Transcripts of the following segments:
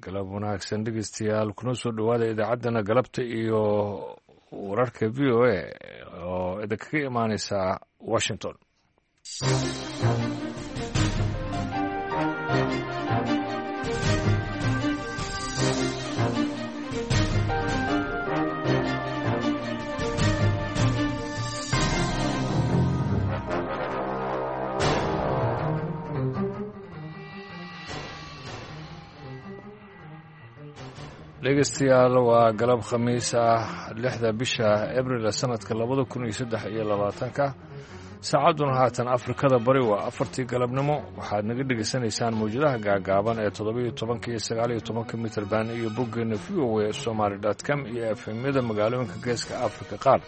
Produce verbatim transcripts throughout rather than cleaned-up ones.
Galab wanaagsan dhegeystayaal, kuna soo dhowaada idaacaddana galabta iyo wararka V O A oo idinkaga imaaneysa Washington. Dhegeystayaal, waa galab khamiis ah, lixda bisha Abril sanadka labada kun iyo saddex iyo labaatanka. Saacadduna haatan Afrikada Bari waa afartii galabnimo. Waxaad naga dhegeysanaysaan mawjadaha gaagaaban ee toddobiyo tobanka iyo sagaaliyo tobanka mitrban iyo boggeena V O A Somaly dot com iyo efemyada magaalooyinka geeska Afrika qaar.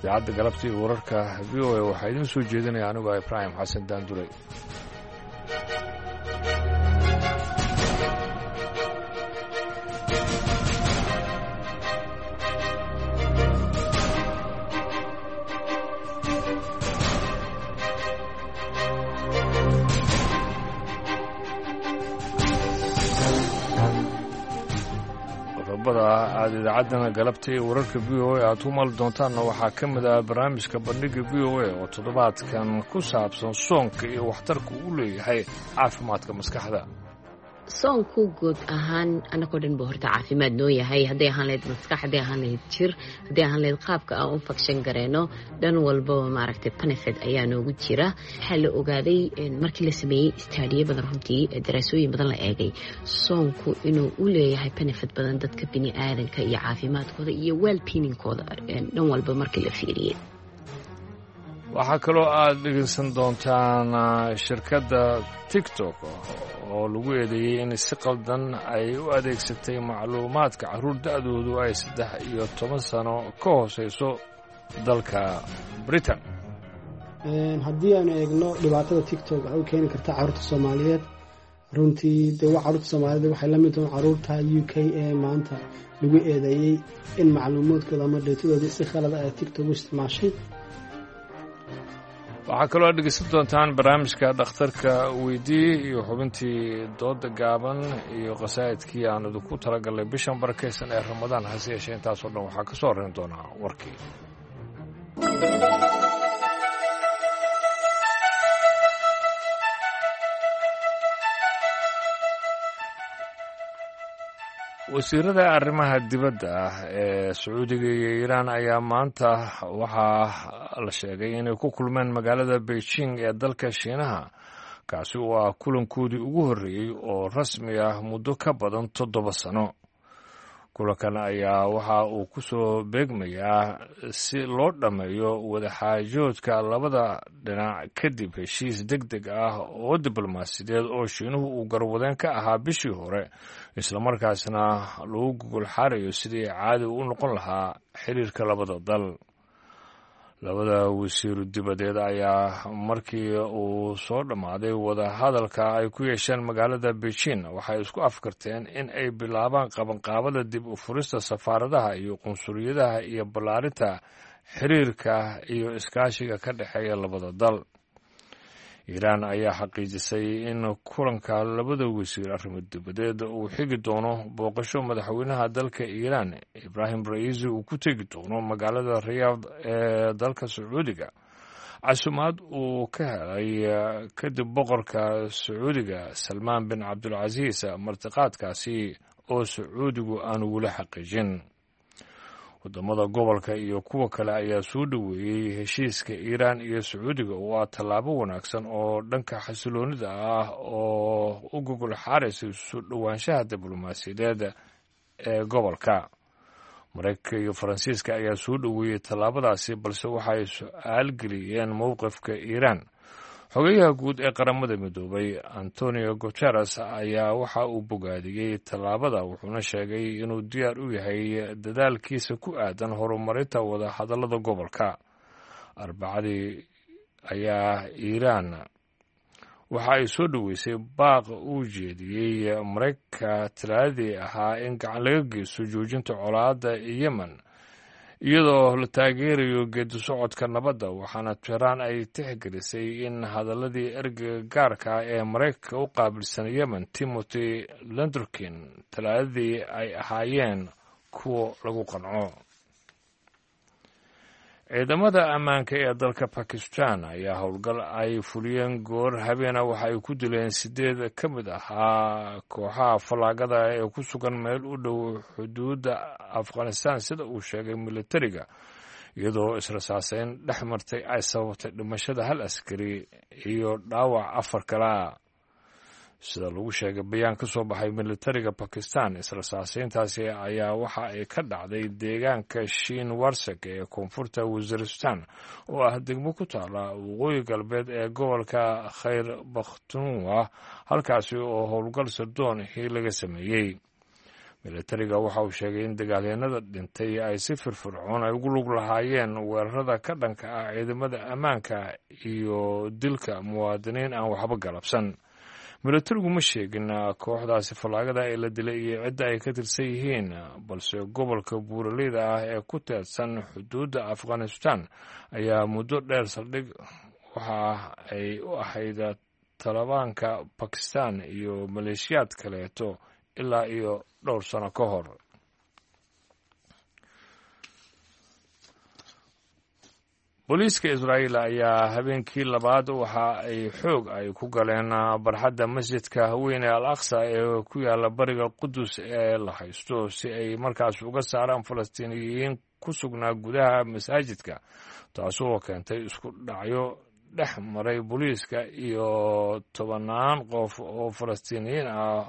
Idaacadda galabta iyo wararka V O A waxaa idiin soo jeedinaya anigoo Ibraahim Xasan Daanduley. Qodobada aada idaacaddana galabta iyo wararka V O A aad ku mali doontaanna waxaa ka mid ah barnaamijka bandhigga V O A oo toddobaadkan ku saabsan soonka iyo waxtarka uu leeyahay caafimaadka maskaxda. Soonku guud ahaan anagoo dhan buu horta caafimaad noo yahay, hadday ahaan lahayd maskax, hadday ahaan lahayd jir, hadday ahaan lahayd qaabka aan u fakshan gareyno, dhan walbaba maaragtay benefit ayaa noogu jira. Waxaa la ogaaday markii la sameeyey istaadiyo badan, runtii daraasooyin badan la eegay, soonku inuu u leeyahay benefit badan dadka bini aadanka iyo caafimaadkooda iyo wellbeingkooda dhan walba markii la fiiriyey. Waxaa kaloo aada dhegeysan doontaan shirkadda TikTok oo lagu eedeeyey in si qaldan ay u adeegsatay macluumaadka carruur da-doodu ay saddex iyo toban sano ka hooseyso dalka Britain. Haddii aanu eegno dhibaatada TikTok waxay u keeni kartaa carruurta Soomaaliyeed, runtii dee waa carruurta Soomaaliyeed waxay la mid tahay carruurta U K ee maanta lagu eedeeyey in macluumaadkooda ama dheetadoodii si khalad ah ay TikTok u isticmaashay. Waxaa kaloo aad dhegeysan doontaan barnaamijka dhakhtarka weydii iyo xubintii dooda gaaban iyo qasaa'idkii aan idinku talagalnay bishan barakeysan ee Ramadaan. Hase yeeshee intaasoo dhan waxaa ka soo horreyn doonaa warkii. Wasiirada arrimaha dibadda ah ee Sacuudiga iyo Iiraan ayaa maanta waxaa la sheegay inay ku kulmeen magaalada Beijing ee dalka Shiinaha, kaasi oo ah kulankoodii ugu horreeyey oo rasmi ah muddo ka badan toddoba sano. Kulankan ayaa waxa uu ku soo beegmayaa si loo dhammeeyo wadaxaajoodka labada dhinac kadib heshiis deg deg ah oo diblomaasiyadeed oo Shiinuhu uu garwadeen ka ahaa bishii hore, islamarkaasna lagu gogol xaarayo sidii caadi u noqon lahaa xiriirka labada dal. Labada wasiiru dibadeed ayaa markii uu soo dhammaaday wadahadalka ay ku yeesheen magaalada Beijing waxay isku afkarteen in ay bilaabaan qabanqaabada dib u furista safaaradaha iyo qunsuliyadaha iyo ballaarinta xiriirka iyo iskaashiga ka dhexeeya labada dal. Iiraan ayaa xaqiijisay in kulanka labada wasiir arrimo dibadeed uu xigi doono booqasho madaxweynaha dalka Iiraan Ibraahim Ra'iisi uu ku tegi doono magaalada Riyaad ee dalka Sacuudiga, casumaad uu ka helay kadib boqorka Sacuudiga Salmaan bin Cabdulcasiis, martiqaadkaasi oo Sacuudigu aan weli xaqiijin. Wadamada gobolka iyo kuwa kale ayaa soo dhoweeyey heshiiska Iiraan iyo Sacuudiga oo ah tallaabo wanaagsan oo dhanka xasiloonida ah oo u gogol xaaraysa soo dhowaanshaha diblomaasiyadeed ee gobolka. Maraykanka iyo Faransiiska ayaa soo dhoweeyey tallaabadaasi, balse waxay su-aal geliyeen mowqifka Iiraan. Xogeyaha guud ee Qaramada Midoobay Antonio Guteres ayaa waxa uu bogaadiyey tallaabada, wuxuuna sheegay inuu diyaar u yahay dadaalkiisa ku aadan horumarinta wadahadallada gobolka. Arbacadii ayaa Iiraan waxa ay soo dhoweysay baaq uu jeediyey Maraykanka Talaadadii ahaa in gacan laga geysto joojinta colaadda Yemen iyadoo la taageerayo geedi socodka nabadda, waxaana Tehraan ay tixgelisay in hadaladii ergeyga gaarka ah ee Maraykanka u qaabilsan Yemen, Timothy Lenderkin, Talaadadii ay ahaayeen kuwa lagu qanco. Ciidamada ammaanka ee dalka Bakistan ayaa howlgal ay fuliyeen goor habeena waxa ay ku dileen sideed ka mid ahaa kooxaha fallaagada ee ku sugan meel u dhow xuduudda Afghanistan, sida uu sheegay militariga, iyadoo israsaaseyn dhex martay ay sababtay dhimashada hal askari iyo dhaawac afar kale ah, sida lagu sheegay bayaan ka soo baxay militariga Bakistan. Israsaaseyntaasi ayaa waxa ay ka dhacday deegaanka Shiin Warsag ee koonfurta Waziristan, oo ah degmo ku taala waqooyi galbeed ee gobolka Khayr Bakhtunwa, halkaasi oo howlgal sirdoonihii laga sameeyey. Militariga waxa uu sheegay in dagaalyanada dhintay ay si firfircoon ay ugu lug lahaayeen weerarada ka dhanka ah ciidamada ammaanka iyo dilka muwaadiniin aan waxba galabsan. Militarigu ma sheegin kooxdaasi fallaagada ee la dilay iyo cidda ay ka tirsan yihiin, balse gobolka buuraleyda ah ee ku teedsan xuduudda Afghanistan ayaa muddo dheer saldhig waxa ay u ahayd Talibaanka Bakistan iyo maleeshiyaad kaleeto ilaa iyo dhowr sano ka hor. Booliiska Israa'iil ayaa habeenkii labaad waxa ay xoog ay ku galeen barxadda masjidka weyn ee Al Aqsa ee ku yaala bariga Qudus ee la haysto, si ay markaas uga saaraan Falastiiniyiin ku sugnaa gudaha masaajidka, taasoo keentay isku dhacyo dhex maray booliiska iyo tobannaan qof oo Falastiiniyiin ah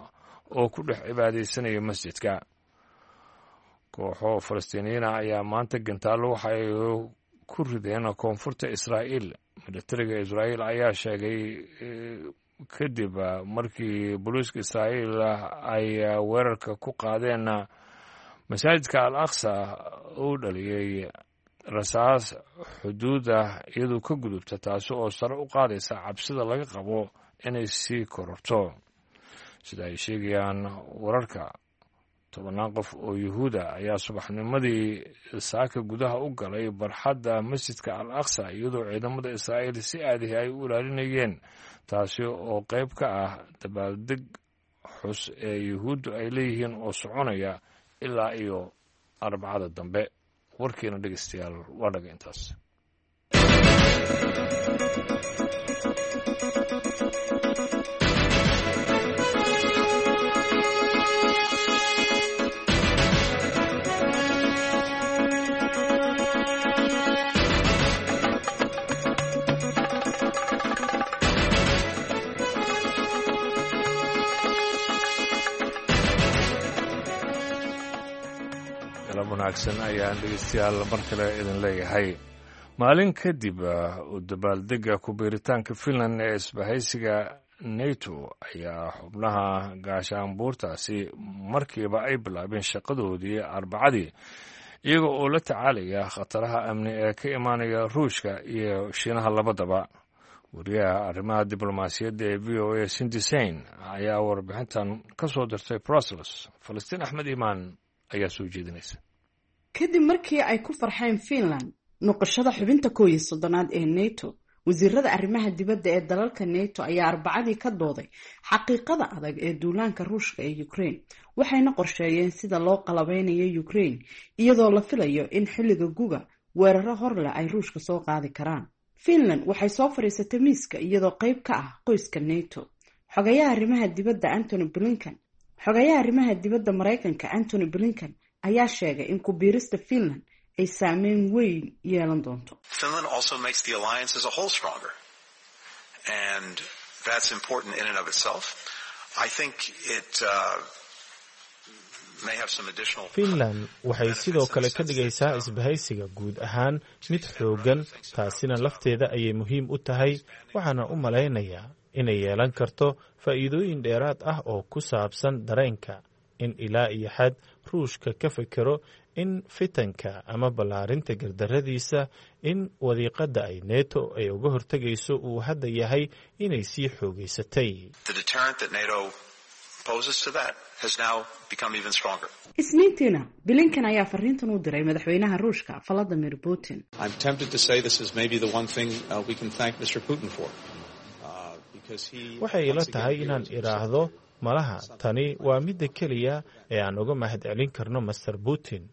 oo ku dhex cibaadaysanaya masjidka. Kooxo Falastiiniyiin ah ayaa maanta gantaallo waxa ay ku rideen koonfurta Israa'iil. Militariga Israa'iil ayaa sheegay kadib markii booliiska Israa'iil ay weerarka ku qaadeen masaajidka Al Aqsa uu dhaliyey rasaas xuduuda iyadoo ka gudubta, taasi oo sare u qaadaysa cabsida laga qabo inay sii kororto. Sida ay sheegayaan wararka, tobannaan qof oo Yuhuuda ayaa subaxnimadii saaka gudaha u galay barxadda masjidka Al Aqsa, iyadoo ciidamada Israa'iil si aadihi ay u ilaalinayeen, taasi oo qayb ka ah dabaaldeg xus ee Yuhuuddu ay leeyihiin oo soconaya ilaa iyo Arbacada dambe. Warkiina dhegeystayaal waa dhaga intaas. Wanaagsan ayaan dhegeystayaal mar kale idin leeyahay. Maalin kadib u dabaaldega ku-biiritaanka Finland ee isbahaysiga Nato ayaa xubnaha gaashaanbuurtaasi markiiba ay bilaabeen shaqadoodii Arbacadii, iyaga oo la tacaalaya khataraha amni ee ka imaanaya Ruushka iyo Shiinaha labadaba. Wariyaha arrimaha diblomaasiyadda ee V O A Sindisain ayaa warbixintan ka soo dirtay Brussels. Falastiin Axmed Imaan ayaa soo jeedinaysa. Kadib markii ay ku farxeen Finland noqoshada xubinta koow iyo soddonaad ee Nato, wasiirada arrimaha dibadda ee dalalka Nato ayaa Arbacadii ka dooday xaqiiqada adag ee duulaanka Ruushka ee Ukraine, waxayna qorsheeyeen sida loo qalabeynayo Ukraine, iyadoo la filayo in xilliga guga weeraro horleh ay Ruushka soo qaadi karaan. Finland waxay soo fadhiisatay miiska iyadoo qayb ka ah qoyska Nato. Xogayaha arrimaha dibadda Antony Blinken, xogayaha arrimaha dibadda Maraykanka Antony Blinken ayaa sheegay in ku biirista Finland ay saameyn weyn yeelan doonto. Finland also makes the alliance as a whole stronger, and that's important in and of itself. I think it uh, may have some additional. Finland waxay sidoo kale ka dhigaysaa isbahaysiga guud ahaan mid xooggan, taasina lafteeda ayay muhiim u tahay. Waxaana u malaynayaa inay yeelan karto faa'iidooyin dheeraad ah oo ku saabsan dareenka in ilaa iyo xad Ruushka ka fekero in fitanka ama ballaarinta gardarradiisa, in wadiiqadda ay Neto ay uga hortegayso uu hadda yahay inay sii xoogaysatay. The deterrent that NATO poses to that has now become even stronger. Isniintiina Blinken ayaa fariintan u diray madaxweynaha Ruushka Vladimir Putin. I'm tempted to say this is maybe the one thing uh, we can thank Mister Putin for. Uh, because he Waxay ila tahay inaan idhaahdo malaha tani waa midda keliya ee aan uga mahadcelin karno Mister Putin,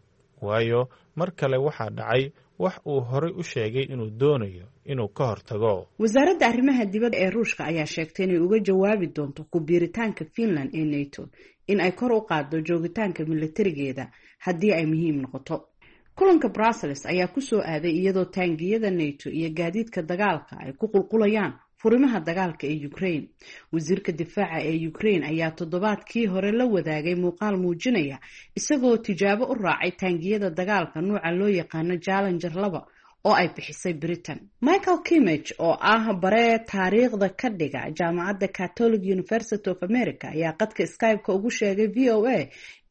waayo mar kale waxaa dhacay wax uu horey u sheegay inuu doonayo inuu ka hortago. Wasaaradda arrimaha dibadda ee Ruushka ayaa sheegtay inay uga jawaabi doonto ku biiritaanka Finland ee NATO in ay kor u qaaddo joogitaanka militarigeeda haddii ay muhiim noqoto. Kulanka Brussels ayaa ku soo aaday iyadoo taangiyada NATO iyo gaadiidka dagaalka ay ku qulqulayaan furimaha dagaalka ee Ukraine. Wasiirka difaaca ee Ukraine ayaa toddobaadkii hore la wadaagay muuqaal muujinaya isagoo tijaabo u raacay taangiyada dagaalka nuuca loo yaqaano Challenger laba oo ay bixisay Britain. Michael Kimmich oo ah bare taariikhda ka dhiga jaamacadda Catholic University of America ayaa qadka Skype-ka ugu sheegay V O A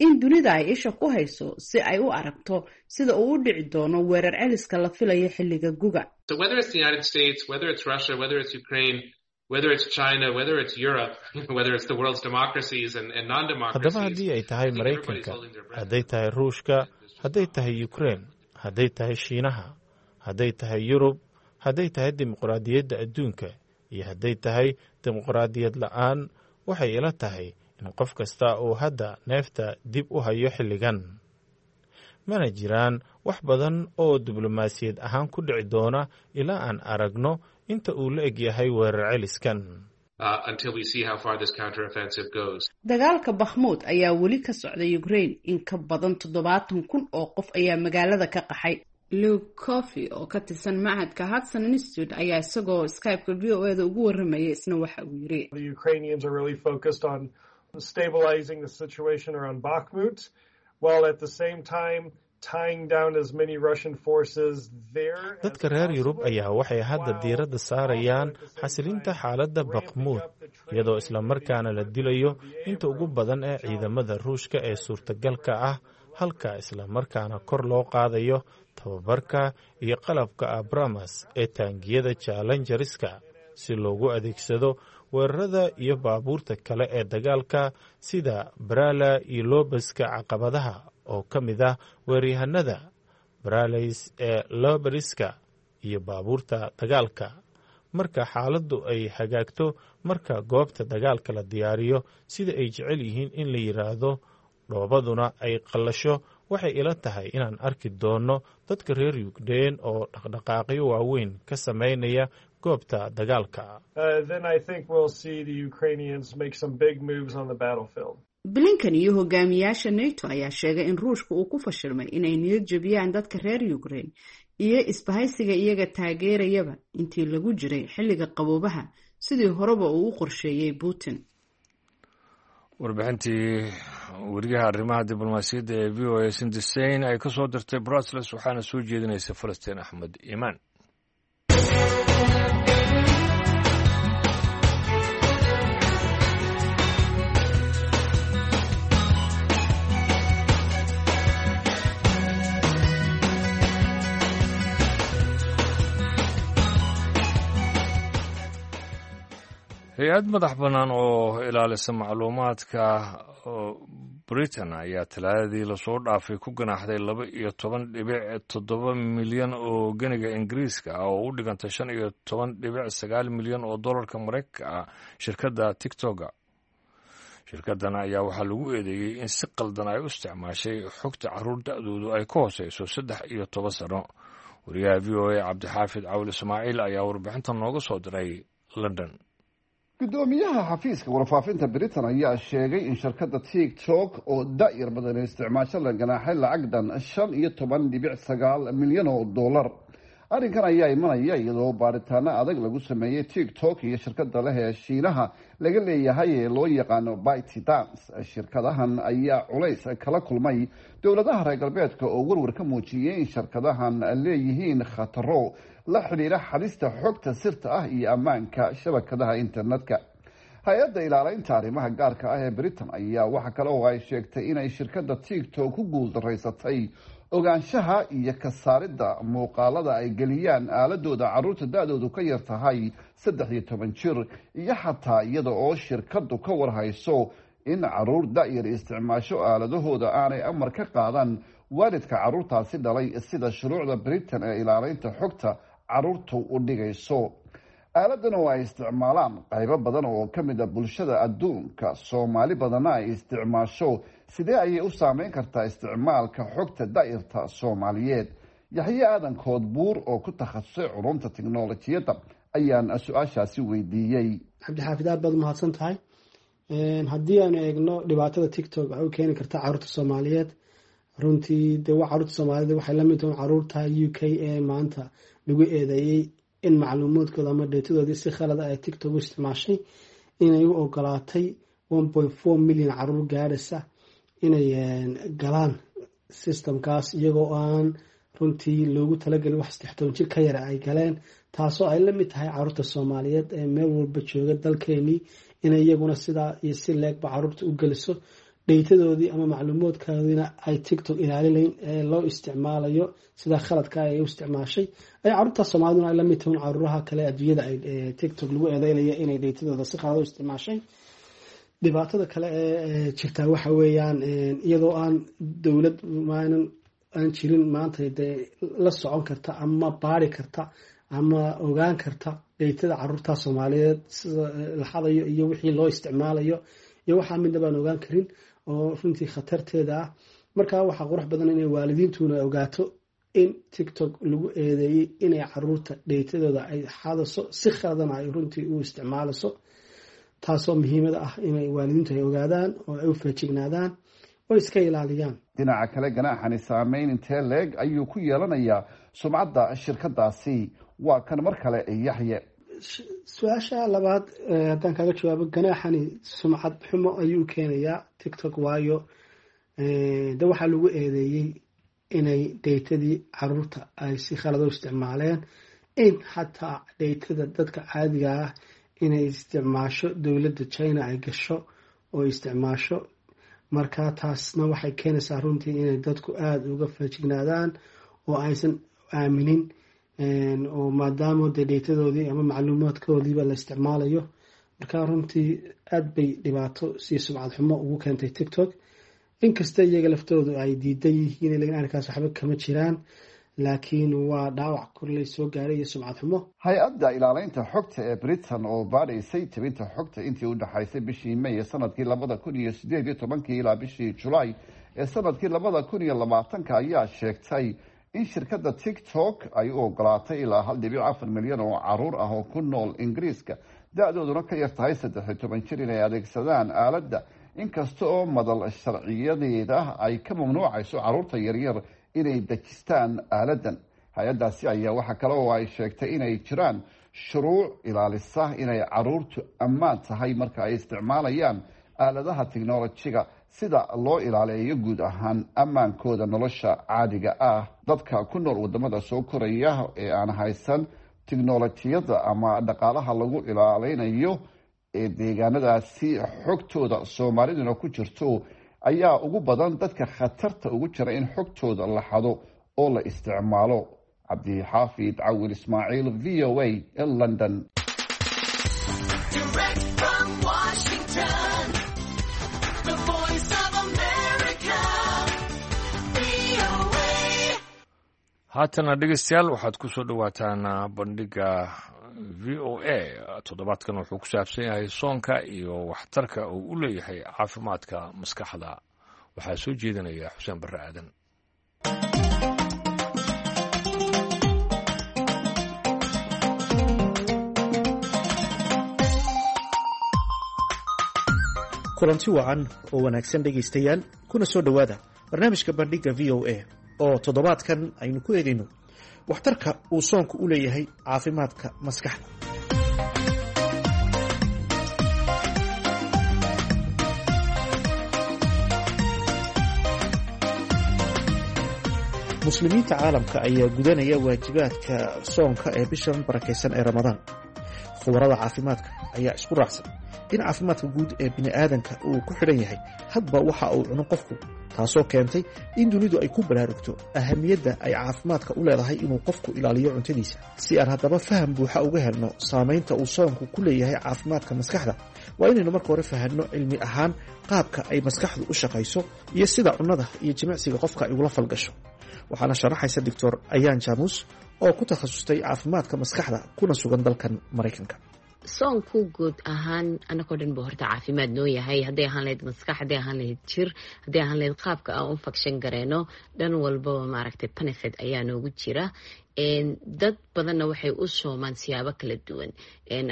in dunida ay isha ku hayso si ay u aragto sida uu u dhici doono weerar celiska la filayo xilliga guga. So whether it's the United States, whether it's Russia, whether it's Ukraine, whether it's China, whether it's Europe, whether it's the world's democracies and, and non-democracies. Haddaba haddii ay tahay Maraykanka, hadday tahay Ruushka, hadday tahay Ukraine, hadday tahay Shiinaha, hadday tahay Yurub, hadday tahay dimuqraadiyadda adduunka iyo hadday tahay dimuqraadiyad la'aan, waxay ila tahay in qof kasta uu hadda neefta dib u hayo xilligan. Mana jiraan wax badan oo diblomaasiyad ahaan ku dhici doona ilaa aan aragno inta uu la eg yahay weerar celiskan. Dagaalka Bakhmut ayaa weli ka socda Ukraine. In ka badan toddobaatan kun oo qof ayaa magaalada ka qaxay. Luke Coffey oo ka tirsan machadka Hudson Institute ayaa isagoo Skype-ka V O A-da ugu warramayay isna waxa uu yiri: The Ukrainians are really focused on stabilizing the situation around Bakhmut, while at the same time tying down as many Russian forces there. Dadka reer Yurub ayaa waxay hadda diiradda saarayaan xasilinta xaaladda Bakhmut, iyadoo isla markaana la dilayo inta ugu badan ee ciidamada Ruushka ee suurtagalka ah, halka isla markaana kor loo qaadayo tababarka iyo qalabka Abrams ee taangiyada Challengerska si loogu adeegsado weerarada iyo baabuurta kale ee dagaalka sida Brala iyo Lobaska caqabadaha oo ka mid ah weeryahanada Bralays ee Loberiska iyo baabuurta dagaalka. Marka xaaladdu ay hagaagto, marka goobta dagaalka la diyaariyo sida ay jecel yihiin in la yiraahdo, dhoobaduna ay qallasho, waxay ila tahay inaan arki doono dadka reer Ukraine oo dhaqdhaqaaqyo waaweyn ka sameynaya goobta dagaalka. Blinken iyo hogaamiyaasha NATO ayaa sheegay in Ruushka uu ku fashilmay inay niyad jebiyaan dadka reer Ukraine iyo isbahaysiga iyaga taageerayaba intii lagu jiray xilliga qaboobaha sidii horeba uu u qorsheeyay Putin. Warbixintii weriyaha arrimaha diblomaasiyadda ee V O A Cindy Sain ay ka soo dirtay Brussels waxaana soo jeedinaysa Falastiin Axmed Iimaan. Hay-ad madax bannaan oo ilaalisa macluumaadka Britain ayaa talaadadii lasoo dhaafay ku ganaaxday laba iyo toban dhibic toddoba milyan oo geniga Ingiriiska ah oo u dhiganta shan iyo toban dhibic sagaal milyan oo dollarka Maraykanka ah shirkadda TikToka. Shirkaddan ayaa waxaa lagu eedeeyey in si qaldan ay u isticmaashay xogta carruur da-doodu ay ka hooseyso saddex iyo toban sano. Wariyaha V O A Cabdixaafid Cawil Ismaaciil ayaa warbixintan nooga soo diray London. Gudoomiyaha xafiiska warfaafinta Britain ayaa sheegay in shirkadda TikTok oo da'yar badan isticmaasho la ganaaxay lacag dhan shan iyo toban dhibic sagaal milyan oo dollar. Arrinkan ayaa imanaya iyadoo baaritaano adag lagu sameeyey TikTok iyo shirkadda leh ee Shiinaha laga leeyahay ee loo yaqaano ByteDance. Shirkadahan ayaa culays kala kulmay dowladaha reer galbeedka oo warwar ka muujiyey in shirkadahan leeyihiin khataro la xidhiidha xadista xogta sirta ah iyo ammaanka shabakadaha internetka. Hay-adda ilaaleynta arrimaha gaarka ah ee Britain ayaa waxa kale oo ay sheegtay inay shirkadda TikTok ku guuldaraysatay ogaanshaha iyo ka saaridda muuqaalada ay geliyaan aaladooda carruurta da-doodu ka yar tahay saddex iyo toban jir, iyo xataa iyada oo shirkaddu ka warhayso in caruur da-yar isticmaasho aaladahooda aanay amar ka qaadan waalidka caruurtaasi dhalay, sida shuruucda Britain ee ilaaleynta xogta caruurtu u dhigayso. Aaladan oo ay isticmaalaan qaybo badan oo ka mid a bulshada adduunka, Soomaali badanna ay isticmaasho, sidee ayay u saameyn kartaa isticmaalka xogta da-yarta Soomaaliyeed? Yaxye Aadan Koodbuur oo ku takhasusay culumta tiknolojiyadda ayaan su-aashaasi weydiiyey. Cabdixaafid, aad baad umahadsan tahay. Haddii aanu eegno dhibaatada TikTok waxay u keeni kartaa caruurta Soomaaliyeed, runtii dee waa caruurta Soomaalida waxay la mid tahay caruurta U K ee maanta lagu eedeeyey in macluumaadkooda ama datadoodii si khalada ay TikTok u isticmaashay, inay u ogolaatay one point four million caruur gaadhaysa inay galaan systemkaas, iyagoo aan runtii loogu talagelin wax saddex toban jir ka yara ay galeen, taasoo ay la mid tahay caruurta Soomaaliyeed ee meel walba jooga dalkeenii, inay iyaguna sidaa iyo si leegba caruurta u geliso datadoodii ama macluumaadkoodiina ay TikTok ilaalilayn ee loo isticmaalayo sidaa khaladka ay u isticmaashay, ay caruurta Soomaaliduna ay la mid tahay caruuraha kale adduunyada ay TikTok lagu eedeynaya inay datadooda si khalad u isticmaashay. Dhibaatada kale ee jirtaa waxa weeyaan, iyadoo aan dowlad maanan aan jirin maanta dee la socon karta ama baari karta ama ogaan karta datada caruurta Soomaaliyeed sida la xadayo iyo wixii loo isticmaalayo iyo waxaa midna baan ogaan karin, oo runtii khatarteeda ah. Marka waxaa qurux badan inay waalidiintuna ogaato in TikTok lagu eedeeyey inay caruurta datadooda ay xadayso, si khaladana ay runtii u isticmaalayso, taasoo muhiimada ah inay waalidiintu ay ogaadaan oo ay u feejignaadaan oo iska ilaaliyaan. Dhinaca kale, ganaaxani saameyn intee leeg ayuu ku yeelanayaa sumcadda shirkadaasi? Waa kan mar kale Yaxye. Su-aasha labaad haddaan kaaga jawaabo, ganaaxani sumcad xumo ayuu keenayaa TikTok, waayo de waxaa lagu eedeeyey inay datadii caruurta ay si khalad u isticmaaleen, in xataa datada dadka caadiga ah inay isticmaasho dowladda China ay gasho oo isticmaasho. Marka taasna waxay keenaysaa runtii inay dadku aada uga feejignaadaan oo aysan aaminin, oo maadaama dee datadoodii ama macluumaadkoodiiba la isticmaalayo. Marka runtii aada bay dhibaato si sumcad xumo ugu keentay TikTok, inkasta iyaga laftoodu ay diidan yihiin, lakin arrinkaas waxba kama jiraan, laakiin waa dhaawac korley soo gaaray iyo sumcad xumo. Hay-adda ilaaleynta xogta ee Britain oo baadhaysay tebinta xogta intii u dhexaysay bishii May ee sanadkii labada kun iyo sideed iyo tobankii ilaa bishii Julaay ee sanadkii labada kun iyo labaatanka ayaa sheegtay in shirkadda TikTok ay u ogolaatay ilaa hal dhibic afar milyan oo caruur ah oo ku nool Ingiriiska, da-dooduna ka yar tahay saddex iyo toban jir, inay adeegsadaan aaladda, inkasta oo madal sharciyadeeda ay ka mamnuucayso caruurta yaryar inay dejistaan aaladan. Hay-addaasi ayaa waxaa kale oo ay sheegtay inay jiraan shuruuc ilaalisa inay caruurtu ammaan tahay marka ay isticmaalayaan aaladaha technolojiga, sida loo ilaaleeyo guud ahaan ammaankooda nolosha caadiga ah. Dadka ku nool wadamada soo koraya ee aan haysan tiknolojiyadda ama dhaqaalaha lagu ilaaleynayo ee deegaanadaasi xogtooda, Soomaaliduna ku jirto, ayaa ugu badan dadka khatarta ugu jira in xogtooda la xado oo la isticmaalo. Cabdixaafid Cawil Ismaaciil, V O A, London. Direct from Washington, the Voice of America, V O A. Haatana dhegeystayaal, waxaad ku soo dhowaataan bandhiga V O A. Toddobaadkan wuxuu ku saabsan yahay soonka iyo waxtarka uu u leeyahay caafimaadka maskaxda. Waxaa soo jeedinaya Xuseen Barre Aadan. Kulanti wacan oo wanaagsan dhegaystayaal, kuna soo dhowaada barnaamijka bandhigga V O A oo toddobaadkan aynu ku eegayno waxtarka uu soonku u leeyahay caafimaadka maskaxda. Muslimiinta caalamka ayaa gudanaya waajibaadka soonka ee bishan barakaysan ee Ramadaan. Khubarada caafimaadka ayaa isku raacsan in caafimaadka guud ee bini'aadanka uu ku xidhan yahay hadba waxa uu cuno qofku, taasoo keentay in dunidu ay ku baraarugto ahamiyadda ay caafimaadka u leedahay inuu qofku ilaaliyo cuntadiisa. Si aan haddaba faham buuxa uga helno saamaynta uu soonku ku leeyahay caafimaadka maskaxda, waa inaynu marka hore fahanno cilmi ahaan qaabka ay maskaxdu u shaqayso iyo sida cunnada iyo jimicsiga qofka ay ugula falgasho. Waxaana sharaxaysa Doctor Ayaan Jaamuus oo ku takhasustay caafimaadka maskaxda kuna sugan dalkan Maraykanka. Soonku guud ahaan anakoo dhan buu horta caafimaad noo yahay, hadday ahaan lahayd maskax, hadday ahaan lahayd jir, hadday ahaan lahayd qaabka aan u function gareyno, dhan walbaba maaragtay benefit ayaa noogu jira. Dad badanna waxay u soomaan siyaabo kala duwan.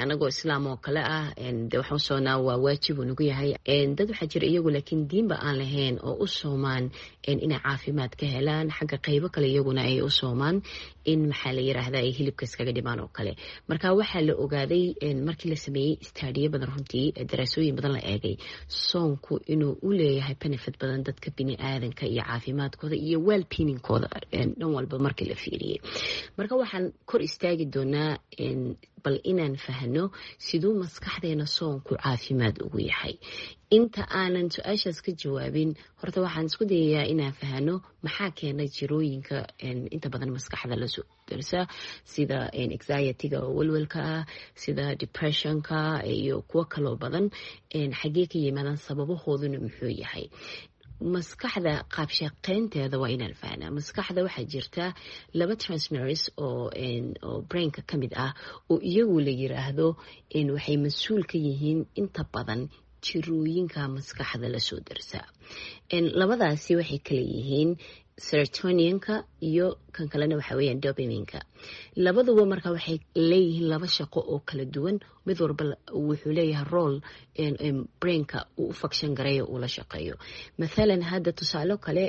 Anagoo islaam oo kale ah, de waxaan u soonaa waa waajib uu nagu yahay. Dad waxaa jira iyagu laakiin diinba aan lahayn oo u soomaan inay caafimaad ka helaan xagga qeybo kale, iyaguna ay u soomaan in, maxaa la yiraahda, ay hilibka iskaga dhimaan oo kale. Marka waxaa la ogaaday markii la sameeyey study-yo badan, runtii daraasooyin badan la eegay, soonku inuu u leeyahay benefit badan dadka bini aadanka iyo caafimaadkooda iyo well-being-kooda dhan walba markii la fiiriyey. Marka waxaan kor istaagi doonaa bal inaan fahno siduu maskaxdeena soonku caafimaad ugu yahay. Inta aanan su-aashaas ka jawaabin, horta waxaan isku dayayaa inaan fahno maxaa keena jirooyinka inta badan maskaxda lasoo darsa, sida anxiety-ga oo welwelka ah, sida depression-ka iyo kuwo kaloo badan. Xaggee ka yimaadaan? Sababahooduna muxuu yahay? Maskaxda qaabshaqeynteeda waa inaan fahnaa. Maskaxda waxaa jirta laba transmitters oo oo brain-ka ka mid ah oo iyagu la yiraahdo waxay mas-uul ka yihiin inta badan jirooyinka maskaxda lasoo darsa. Labadaasi waxay kala yihiin serotonin-ka iyo kan kalena waxa weeyaan dopamine-ka. Labaduba marka waxay leeyihiin laba shaqo oo kala duwan. Mid walba wuxuu leeyahay role brain-ka uu u function gareeyo, uu la shaqeeyo. Mathalan, hadda tusaale kale,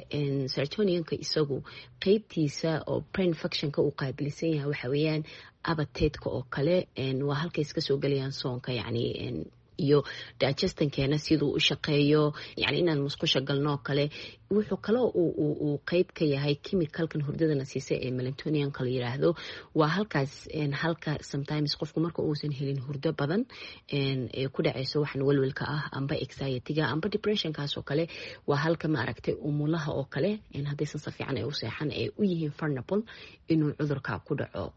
serotonin-ka isagu qeybtiisa oo brain function-ka uu qaabilsan yahay waxa weeyaan appetite-ka oo kale, waa halkay iska soo gelayaan soonka, yacni iyo digestion-keena siduu u shaqeeyo, yani inaan musqusha galno oo kale. Wuxuu kaloo uu qeyb ka yahay chemical-kan hurdadana siisa ee melatonin-ka la yiraahdo. Waa halkaas halka sometimes qofku marka uusan helin hurdo badan ee ku dhaceyso waxan welwelka ah amba anxiety-ga amba depression-kaas oo kale. Waa halka, maaragtay, umulaha oo kale haddaysan si fiican ay u seexan ay u yihiin vulnerable inuu cudurka ku dhaco.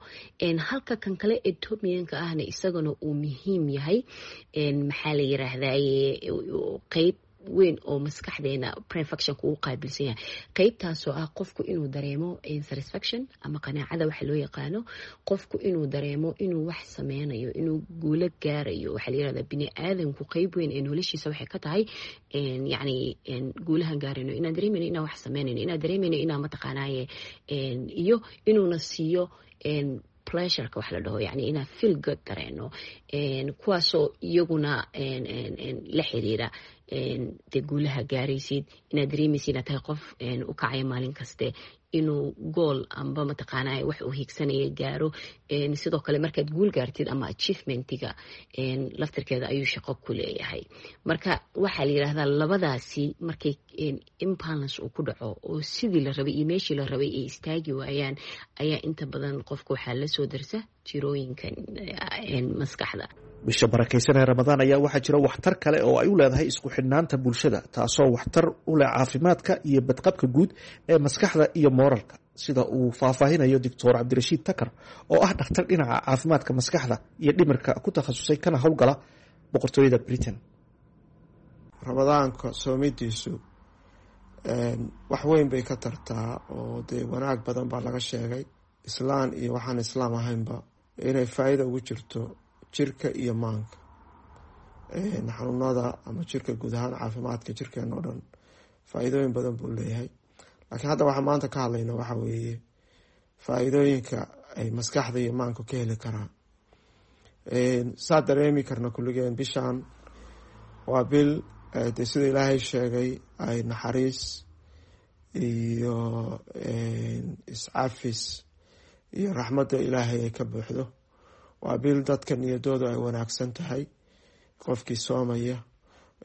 Halka kan kale ee dopamine-ka ahna isagana uu muhiim yahay, maxaa la yiraahdaye, qeyb weyn oo maskaxdeena brain function-ka uu qaabilsan yahay, qeybtaasoo ah qofku inuu dareemo satisfaction ama qanaacada waxa loo yaqaano, qofku inuu dareemo inuu wax sameynayo, inuu guulo gaarayo. Waxaa la yirahdaa bini aadamku qeyb weyn ee noloshiisa waxay ka tahay, yacni, guulahan gaarayno, inaan dareemayno inaan wax sameynayno, inaan dareemayno inaan mataqaanaaye, iyo inuuna siiyo pleasure-ka wax la dhaho, yani inaan feel good dareeno, kuwaasoo iyaguna la xiriira dee guulaha gaaraysid, inaad dareemaysid inaad tahay qof u kacaya maalin kaste inuu goal amba mataqaanaa wax uu hiigsanaya gaaro. Sidoo kale markaad guul gaartid ama achievement-iga laftirkeeda ayuu shaqo ku leeyahay. Marka waxaa la yidhahdaa labadaasi markay imbalance uu ku dhaco oo sidii la rabay iyo meeshii la rabay ay istaagi waayaan, ayaa inta badan qofka waxaa lasoo darsa jirooyinkan maskaxda. Bisha barakaysan ee Ramadaan ayaa waxaa jira waxtar kale oo ay u leedahay isku xidhnaanta bulshada, taasoo waxtar u leh caafimaadka iyo badqabka guud ee maskaxda iyo mooralka, sida uu faahfaahinayo Doctor Cabdirashiid Takar oo ah dhakhtar dhinaca caafimaadka maskaxda iyo dhimirka ku takhasusay kana howlgala Boqortooyada Britain. Ramadaanka soomidiisu wax weyn bay ka tartaa oo dee wanaag badan baa laga sheegay, islaan iyo waxaan islaam ahaynba, inay faa-iida ugu jirto jirka iyo maanka, xanuunada ama jirka guud ahaan, caafimaadka jirkeena oo dhan faa-iidooyin badan buu leeyahay. Laakiin hadda waxaa maanta ka hadlayna waxa weeye faa-iidooyinka ay maskaxda iyo maanku ka heli karaan. Saa dareemi karna kulligeen, bishaan waa bil dee sida Ilaahay sheegay ay naxariis iyo iscafis iyo raxmadda Ilaahay ay ka buuxdo. Waa bil dadka niyadoodu ay wanaagsan tahay, qofkii soomaya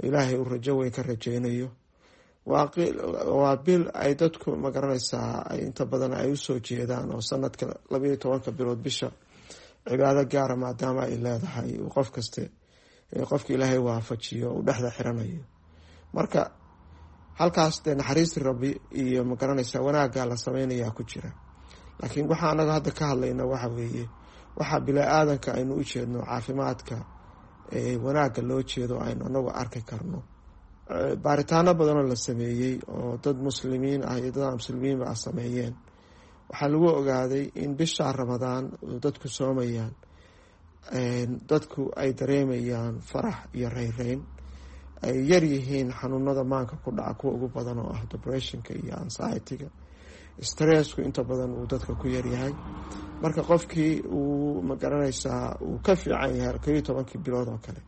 Ilaahay uu rajo weyn ka rajeynayo. Waa bil ay dadku, magaranaysaa, ay inta badan ay usoo jeedaan oo sanadka labayo tobanka bilood bisha Cibaado gaara maadaama ay leedahay, uu qof kaste, qofka Ilaahay waafajiyo, uu dhexda xiranayo. Marka halkaas dee naxariistii Rabbi iyo, magaranaysa, wanaaggaa la sameynayaa ku jira. Laakiin waxa anaga hadda ka hadlayna waxa weeye waxaa bila-aadanka aynu u jeedno, caafimaadka wanaagga loo jeedo aynu anagu arki karno. Baaritaano badanoo la sameeyey oo dad Muslimiin ah iyo dad aan muslimiinba ah sameeyeen, waxaa lagu ogaaday in bisha Ramadaan dadku soomayaan, dadku ay dareemayaan farax iyo reyreyn, ay yar yihiin xanuunada maanka ku dhaca kuwa ugu badan oo ah depressionka iyo anxietyga. Stressku inta badan uu dadka ku yaryahay. Marka qofkii uu, magaranaysaa, uu ka fiican yahay kow iyo tobankii bilood oo kale.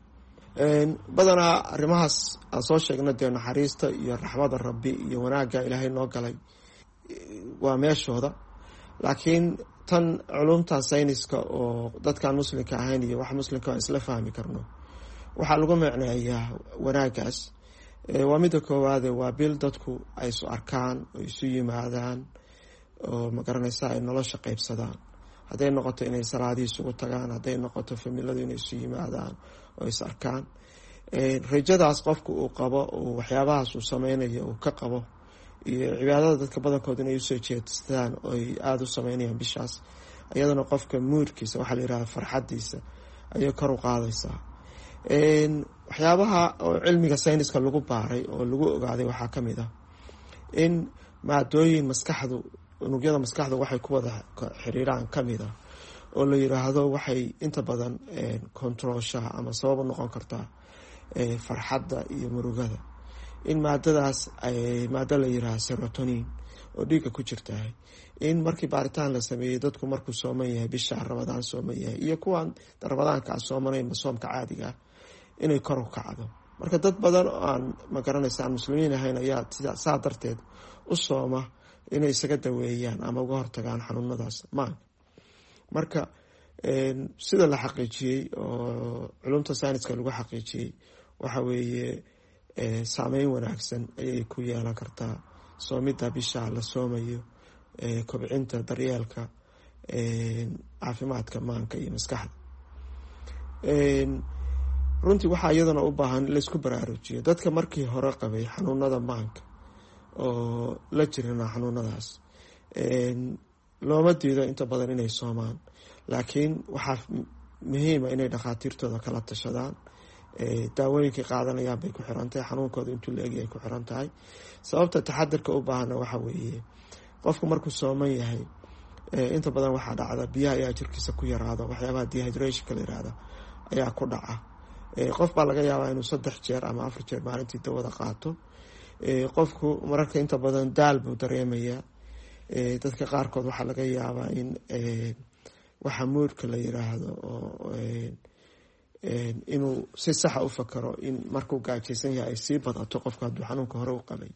Badanaa arrimahaas aan soo sheegna, dee naxariista iyo raxmada Rabbi iyo wanaagga Ilaahay noo galay waa meeshooda, laakiin tan culumta sayniska oo dadkaan Muslimka ahayn iyo wax Muslimka aan isla fahmi karno waxaa lagu micneeyaa wanaaggaas waa midda koowaade: waa bil dadku ay isu arkaan oo isu yimaadaan oo, magaranaysa, ay nolosha qeybsadaan. Hadday noqoto inay salaadii isugu tagaan, hadday noqoto familadu inay isu yimaadaan oo is arkaan, rajadaas qofka uu qabo, uu waxyaabahaas uu sameynayo uu ka qabo, iyo cibaadada dadka badankood inay usoo jeestaan oy aada u sameynayaan bishaas, iyadana qofka moodkiisa, waxaa la yihahda farxadiisa, ayay kor u qaadaysaa. Waxyaabaha oo cilmiga sayniska lagu baaray oo lagu ogaaday waxaa ka mid ah in maadooyin maskaxdu, unugyada maskaxdu waxay ku wada xiriiraan ka mid ah oo la yiraahdo waxay inta badan controlshaha ama sabab u noqon kartaa farxadda iyo murugada, in maadadaas, maado la yiraahdo serotonin oo dhiigga ku jirtahay, in markii baaritaan la sameeyey dadku markuu sooman yahay, bisha Ramadaan sooman yahay, iyo kuwan Ramadaanka aan soomanayn, soomka caadiga ah, inay kor u kacdo. Marka dad badan oo aan, magaranaysa, aan Muslimiin ahayn ayaa saa darteed u sooma inay isaga daweeyaan ama uga hortagaan xanuunadaas maanka. Marka sida la xaqiijiyey oo culumta sayniska lagu xaqiijiyey waxa weeye saameyn wanaagsan ayay ku yeelan kartaa soomidda bisha la soomayo kobcinta daryeelka caafimaadka maanka iyo maskaxda. Runtii waxaa iyadana u baahan in laisku baraarujiyo dadka markii hore qabay xanuunada maanka oo la jirana xanuunadaas, looma diido inta badan inay soomaan, laakiin waxaa muhiima inay dhakhaatiirtooda kala tashadaan. Daawooyinkay qaadanayaan bay ku xiran tahay, xanuunkooda intuu la egyahay ku xiran tahay. Sababta taxadirka u baahana waxa weeye qofku markuu sooman yahay inta badan waxaa dhacda biyaha ayaa jirkiisa ku yaraada, waxyaabaha dehydrationka la yirahda ayaa ku dhaca. Qof baa laga yaabaa inuu saddex jeer ama afar jeer maalintii dawada qaato. Qofku mararka inta badan daal buu dareemayaa. Dadka qaarkood waxaa laga yaabaa in waxa moodka la yiraahdo oo inuu si saxa u fakaro in markuu gaajaysan yahay ay sii badato. Qofka hadduu xanuunka hore u qabay,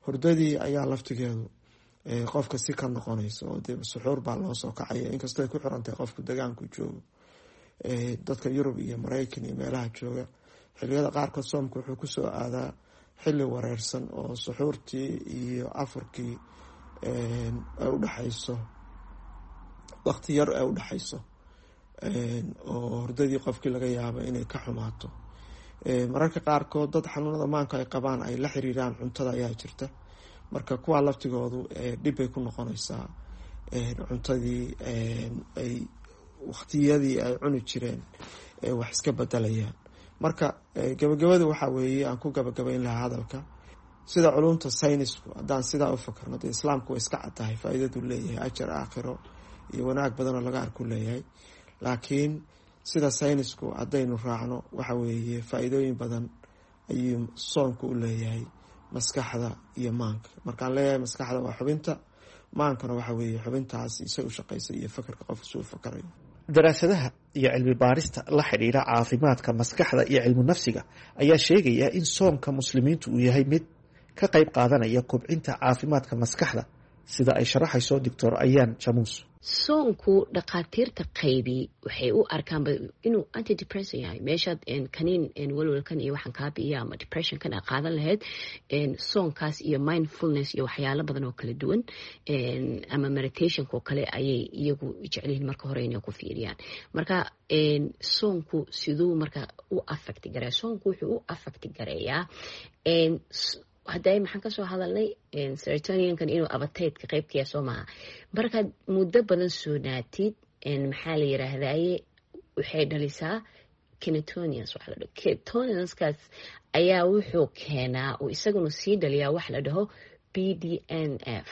hurdadii ayaa laftigeedu qofka si ka noqonaysa oo dee suxuur baa loo soo kacaya, inkastoo ay ku xirantahay qofku degaanku joogo. Dadka Yurub iyo Maraykan iyo meelaha jooga, xiliyada qaarkood soomka wuxuu kusoo aadaa xilli wareersan oo suxuurtii iyo afurkii ay udhexayso waqti yar ay udhexayso, oo hurdadii qofkii laga yaabo inay ka xumaato. Mararka qaarkood dad xanuunada maanka ay qabaan ay la xiriiraan cuntada ayaa jirta. Marka kuwaa laftigoodu dhib bay ku noqonaysaa cuntadii ay waqtiyadii ay cuni jireen wax iska bedelayaan. Marka gabagabada waxaa weeye aan ku gabagabayn lahaa hadalka, sida culumta saynisku haddaan sidaa u fakarno, dee Islaamku way iska caddahay faa-iidadu leeyahay, ajar aakhiro iyo wanaag badanoo laga arku leeyahay, laakiin sida saynisku haddaynu raacno waxa weeye faa-iidooyin badan ayuu soonku u leeyahay maskaxda iyo maanka. Markaan leeyahay maskaxda waa xubinta maankana, waxa weeye xubintaas isay u shaqaysa iyo fakarka qofka si u fakarayo. Daraasadaha iyo cilmi baarista la xidhiidha caafimaadka maskaxda iyo cilmu nafsiga ayaa sheegaya in soomka Muslimiintu uu yahay mid ka qayb qaadanaya kobcinta caafimaadka maskaxda, sida ay sharaxayso Doctor Ayaan Jamuus. Soonku dhakhaatiirta qaybi waxay u arkaanba inuu antidepressant yahay. Meeshaad kaniin walwalkan iyo waxaan kaa bi'iya ama depressionkan aa qaadan lahayd, soonkaas iyo mindfulness iyo waxyaalo badan oo kala duwan ama meditationka oo kale ayay iyagu jecelyihiin marka hore inay ku fiiriyaan. Marka soonku siduu marka u affect gareeya? Soonku wuxuu u affect gareeyaa, hadday maxaan kasoo hadalnay, serotoninkan inuu appetite-ka qeybkaya, soo maha? Markaad muddo badan soonaatid, maxaa la yiraahdaye, waxay dhalisaa ketones waxa la dhaho. Ketoneskaas ayaa wuxuu keenaa uu isaguna sii dhaliyaa wax la dhaho B D N F.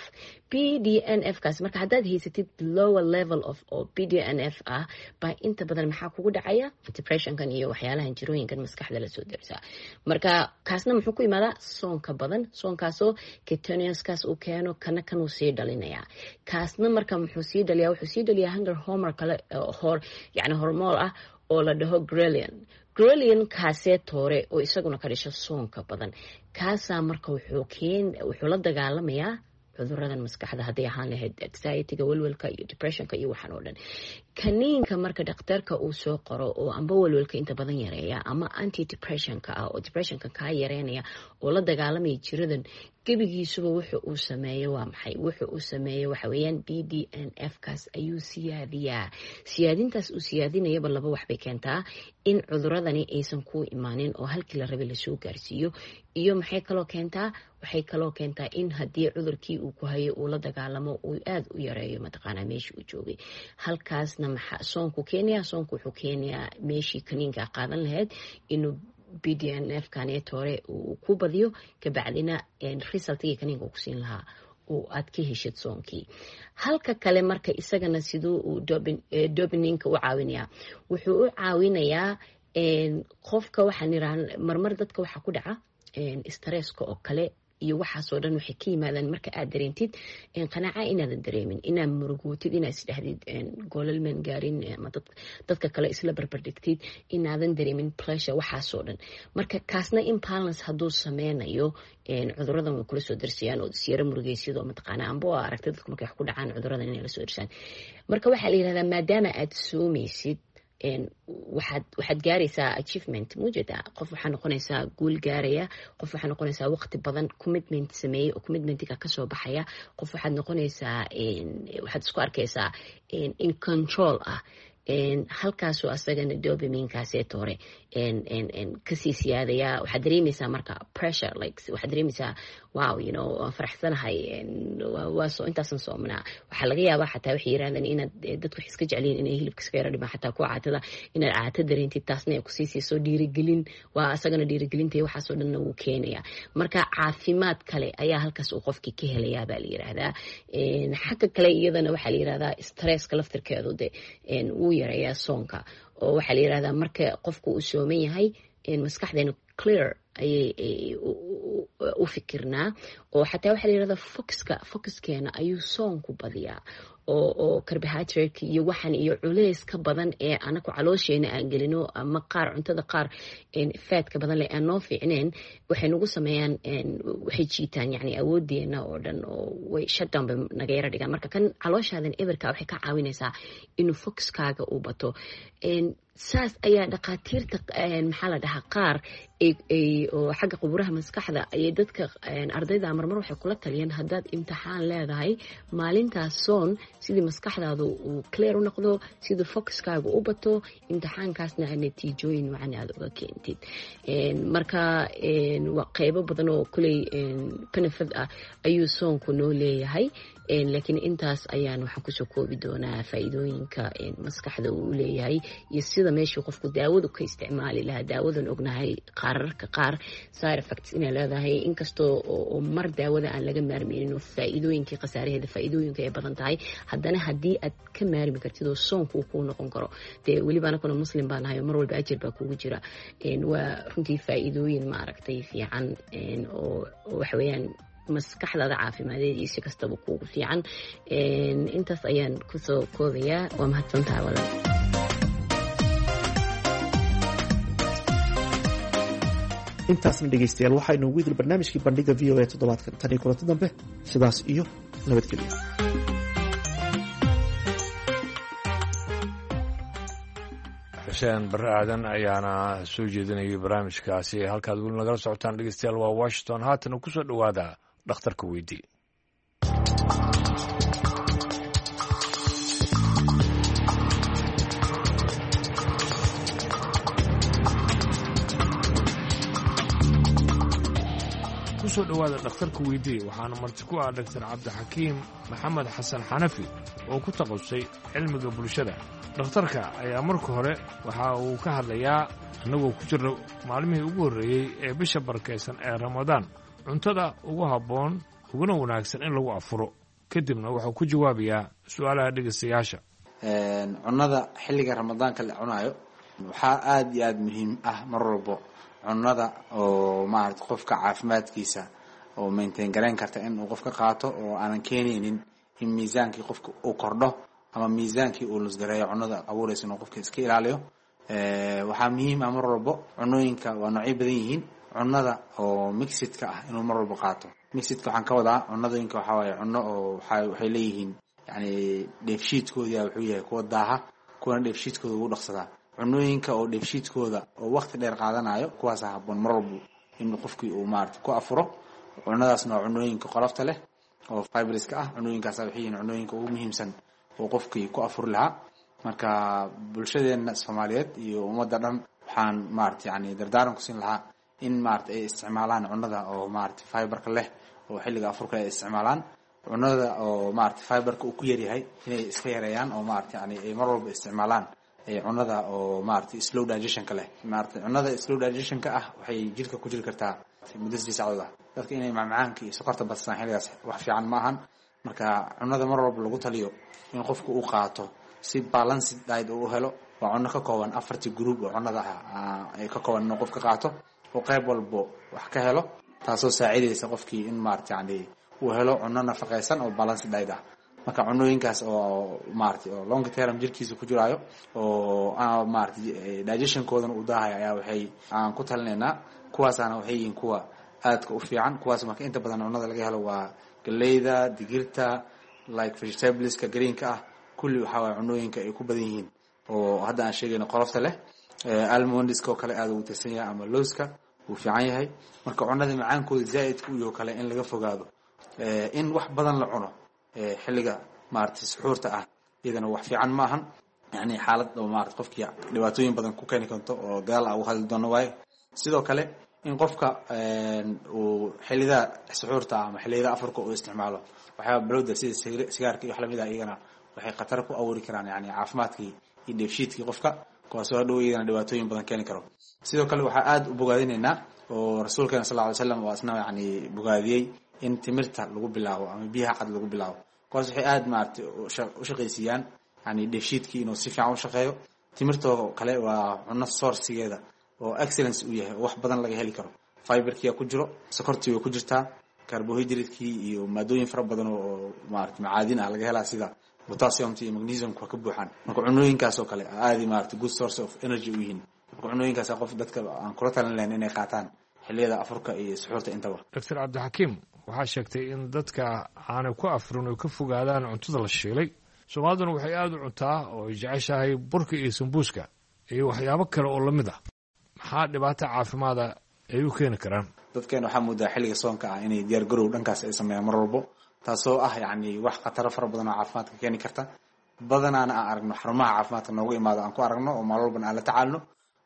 B D N F kaas marka haddaad haysatid lower level of oo B D N F ah baa inta badan maxaa kugu dhacaya? Depressionkan iyo waxyaalahan jirooyinkan maskaxda lasoo darsaa. Marka kaasna muxuu ku imaadaa? Soonka badan, soonkaasoo ketoneskaas uu keeno, kana kanuu sii dhalinayaa. Kaasna marka muxuu sii dhaliyaa? Wuxuu sii dhaliyaa hunger hormone kale, hor yani hormool ah oo la dhaho ghrelin. Ghrelin kaasee toore oo isaguna ka dhisho soonka badan, kaasaa marka wuxuu keen wuxuu la dagaalamayaa cuduradan maskaxda, hadday ahaan lahayd anxietyga, welwelka iyo depressionka iyo waxaan oo dhan. Kaniinka marka dhakhtarka uu soo qoro oo amba welwelka inta badan yareeya ama anti depressionka ah oo depressionka kaa yareynaya oo la dagaalamaya jiradan gebigiisuba, wuxu uu sameeyo waa maxay? Wuxu uu sameeyo waxa weeyaan B D N F kaas ayuu siyaadiyaa. Siyaadintaas uu siyaadinayaba laba wax bay keentaa: in cuduradani aysan ku imaanin oo halkii la rabay lasoo gaarsiiyo, iyo maxay kaloo keentaa? Waxay kaloo keentaa in haddii cudurkii uu ku hayo uu la dagaalamo, uu aada u yareeyo mataqaanaa meeshii uu joogay. Halkaasna maxaa soonku keenaya? Soonku wuxuu keenayaa meeshii kaniinka qaadan lahayd inuu B D N F kaneetore uu ku badiyo, kabacdina resultigii kaniinka ku siin lahaa uu aad ka heshid soonkii. Halka kale marka isagana siduu uu dopamineka u caawinayaa? Wuxuu u caawinayaa qofka, waxaan iraah marmar dadka waxaa ku dhaca stresska oo kale iyo waxaasoo dhan waxay ka yimaadaan marka aad dareentid qanaaca inaadan dareemin, inaad murugootid, inaad isdhahdid goolal maan gaarin, ama dadka kale isla barbardhigtid, inaadan dareemin pleasure, waxaasoo dhan. Marka kaasna imbalance hadduu sameynayo, cuduradan way kula soo darsayaan oo isyaro murugeysyado mataqaana amba oo aragtay dadku markay wax ku dhacaan cuduradan inay la soo darsaan. Marka waxaa la yirahdaa maadaama aad soomaysid, waxaad waxaad gaaraysaa achievement mujeda. Qof waxaa noqonaysaa guul gaaraya, qof waxaa noqonaysaa waqti badan commitment sameeyey oo commitmentiga kasoo baxaya, qof waxaad noqonaysaa, waxaad isku arkaysaa in control ah. Halkaasoo asagana dopaminekaaseeto hore kasii siyaadaya. Waxaad dareemeysaa marka pressure, like waxaad dareemeysaa, wow, you know waan faraxsanahay, waa soo intaasan soomnaa. Waxaa laga yaabaa xataa waxay yirahdaan inaad dadku waxay iska jecliyin inay hilibka iska yara dhimaan, xataa kuwa caatada, inaad caato dareentid, taasna ay kusii siiso dhiirigelin. Waa asagana dhiirigelinta waxaasoo dhanna wuu keenaya. Marka caafimaad kale ayaa halkaas uu qofkii ka helayaa baa la yiraahdaa. Xagga kale iyadana waxaa la yirahdaa stresska laftirkeedu de wuu yareeyaa soonka, oo waxaa la yirahdaa marka qofku uu sooman yahay, maskaxdeena clear ayay u fikirnaa, oo xataa waxaa la yirahdaa focuska focuskeena ayuu soonku badiyaa, oo oo carbohydrate iyo waxan iyo culeys ka badan ee anaku caloosheena aan gelino ama qaar cuntada qaar fatka badan leh aan noo fiicneen, waxay nagu sameeyaan, waxay jiitaan yani awoodeena oo dhan oo way shutdown bay naga yara dhigaan. Marka kan calooshaadan eberka waxay ka caawinaysaa inuu focuskaaga uu bato. Saas ayaa dhakhaatiirta maxaa la dhahaa qaar oo xagga quburaha maskaxda ayay dadka ardayda marmar waxay kula taliyeen, haddaad imtixaan leedahay, maalintaas soon, sidii maskaxdaadu uu clear u noqdo, sidii focuskaaga u bato, imtixaankaasna natiijooyin wacan aad uga keentid. Marka waa qeybo badan oo kuley benefit ah ayuu soonku noo leeyahay, laakiin intaas ayaan waxaan kusoo koobi doonaa faa'iidooyinka maskaxda uu leeyahay iyo sida meeshii qofku daawadu ka isticmaali lahaa. Daawadan ognahay qaararka qaar side effects inay leedahay, inkastoo oo mar daawada aan laga maarmeynin oo faa'iidooyinkii khasaaraheeda faa'iidooyinka ay badan tahay, haddana haddii aad ka maarmi kartid oo soonku uu kuu noqon karo, dee weliba anakuna Muslim baa nahay oo mar walba ajir baa kugu jira, waa runtii faa'iidooyin maaragtay fiican oo waxa weeyaan maskaxdaada caafimadeed iyo si kastaba kuugu fiican. Intaas ayaan kusoo koobayaa. Waa mahadsantaha walaal. Intaasna dhegeystayaal waxaa inoogu idil barnaamijkii Bandhiga V O A toddobaadkan. Tan iyo kulanti dambe, sidaas iyo nabadgelyo. Xuseen Barre Aadan ayaana soo jeedinayay barnaamijkaasi. Halkaad weli nagala socotaan dhegeystayaal waa Washington. Haatana kusoo dhowaada dhakhtarka weydii. Kusoo dhowaada dhakhtarka weydii, waxaana marti ku ah Dhaktar Cabdixakiim Maxamed Xasan Xanafi oo ku takhasusay cilmiga bulshada. Dhakhtarka ayaa marka hore waxa uu ka hadlayaa, annagoo ku jirna maalmihii ugu horreeyey ee bisha barakaysan ee Ramadaan, cuntada ugu habboon uguna wanaagsan in lagu afuro. Kadibna wuxuu ku jawaabayaa su'aalaha dhegaystayaasha. Cunada xilliga Ramadaanka la cunaayo waxaa aada iyo aada muhiim ah mar walbo cunada oo maarata qofka caafimaadkiisa oo maintain garayn karta in uu qofka qaato, oo aanan keenaynin in miisaankii qofka uu kordho ama miisaankii uu lusgareeyo. Cunada abuuraysa inuu qofka iska ilaaliyo waxaa muhiim ah mar walbo. Cunooyinka waa noocyo badan yihiin. Cunada oo mixidka ah inuu mar walbo qaato. Mixidka waxaan ka wadaa cunadooyinka waxaa waaye cuno oo waxa waxay leeyihiin yani dheefshiidkooda wuxuu yahay kuwa daaha, kuwana dheefshiidkooda ugu dhaqsadaa. Cunooyinka oo dheefshiidkooda oo waqti dheer qaadanayo, kuwaasa habboon mar walbo in qofkii uu maarata ku afuro. Cunadaasna waa cunooyinka qolofta leh oo fibriska ah. Cunooyinkaasa waxay yihiin cunooyinka ugu muhiimsan oo qofkii ku afuri lahaa. Marka bulshadeena Soomaaliyeed iyo ummadda dhan waxaan maarata yani dardaaran ku siin lahaa in maarata ay isticmaalaan cunada oo maarata fiberka leh, oo xilliga afurka ay isticmaalaan cunada oo maarata fiberka uu ku yaryahay inay iska yareeyaan, oo maarata yani ay mar walba isticmaalaan cunada oo maarata slow digestionka leh. Maarata cunada slow digestionka ah waxay jirka ku jiri kartaa muddo sidii saacadood ah. Dadka inay macmacaanka iyo sokorta badsadaan xilligaas wax fiican ma ahan. Marka cunada mar walba lagu taliyo in qofku uu qaato si balanced diet uu u helo waa cuno ka kooban afartii group oo cunada ah ay ka kooban, inuu qofka qaato oo qayb walbo wax ka helo, taasoo saacidaysa qofkii in maarata yani uu helo cuno nafaqaysan oo balanced diet ah. Marka cunooyinkaas oo maarata oo long term jirkiisa ku jiraayo oo maarata digestionkoodana uu daahayo ayaa waxay aan ku talinaynaa. Kuwaasaana waxay yihiin kuwa aadka u fiican. Kuwaas marka inta badan cunada laga helo waa galeyda, digirta, like vegetables-ka greenka ah. Kulli waxaa waaya cunooyinka ay ku badan yihiin oo hadda aan sheegayno qolofta leh. Almondiska oo kale aada ugu tirsan yahay ama lowska wuu fiican yahay. Marka cunada macaankooda zaa'idka u yaho kale in laga fogaado, in wax badan la cuno xilliga maarata suxuurta ah iyadana wax fiican ma ahan. Yani xaalad oo maarata qofkii dhibaatooyin badan ku keeni karto oo gadaal a uga hadli doono waaye. Sidoo kale in qofka uu xilliyada suxuurta ama xilliyada afurka uu isticmaalo waxyaaba balowda sida sigaarka iyo wax lamid ah, iyagana waxay khatar ku abuuri karaan yani caafimaadkii iyo dheefshiidkii qofka, kuwaasoo hadhow iyagana dhibaatooyin badan keeni karo. Sidoo kale waxaa aada u bogaadinaynaa oo rasuulkeena sal lla ly slam oo asna yani bogaadiyey in timirta lagu bilaabo ama biyaha cad lagu bilaabo. Kuwaas waxay aada maarata u shaqaysiiyaan yani dheefshiidkii inuu si fiican u shaqeeyo. Timirtoo kale waa cuno sourcigeeda oo excellence uu yahay oo wax badan laga heli karo. Fiberkia ku jiro, sokortii way ku jirtaa, carbohydratekii iyo maadooyin fara badan oo maarata macaadin ah laga helaa sida potassiumta iyo magnesiumka waa ka buuxaan. Marka cunooyinkaas oo kale aadi maarata good source of energy u yihiin. Marka cunooyinkaas qof dadka aan kula talin lahayn inay qaataan xilliyada afurka iyo suxuurta intaba. Doctor Cabdixakiim, waxaa sheegtay in dadka aanay ku afurin oy ka fogaadaan cuntada la shiilay. Soomaaliduna waxay aada u cuntaa oo ay jeceshahay burka iyo sambuuska iyo waxyaabo kale oo lamid ah. Maxaa dhibaato caafimaada ay u keeni karaan? Dadkeena waxaa moodaa xilliga soonka ah inay diyaar garow dhankaas ay sameeyaan mar walbo, taasoo ah yacni wax khataro fara badan oo caafimaadka keeni karta. Badanaana aan aragno xarumaha caafimaadka noogu imaado aan ku aragno oo maalin walbana aan la tacaalno.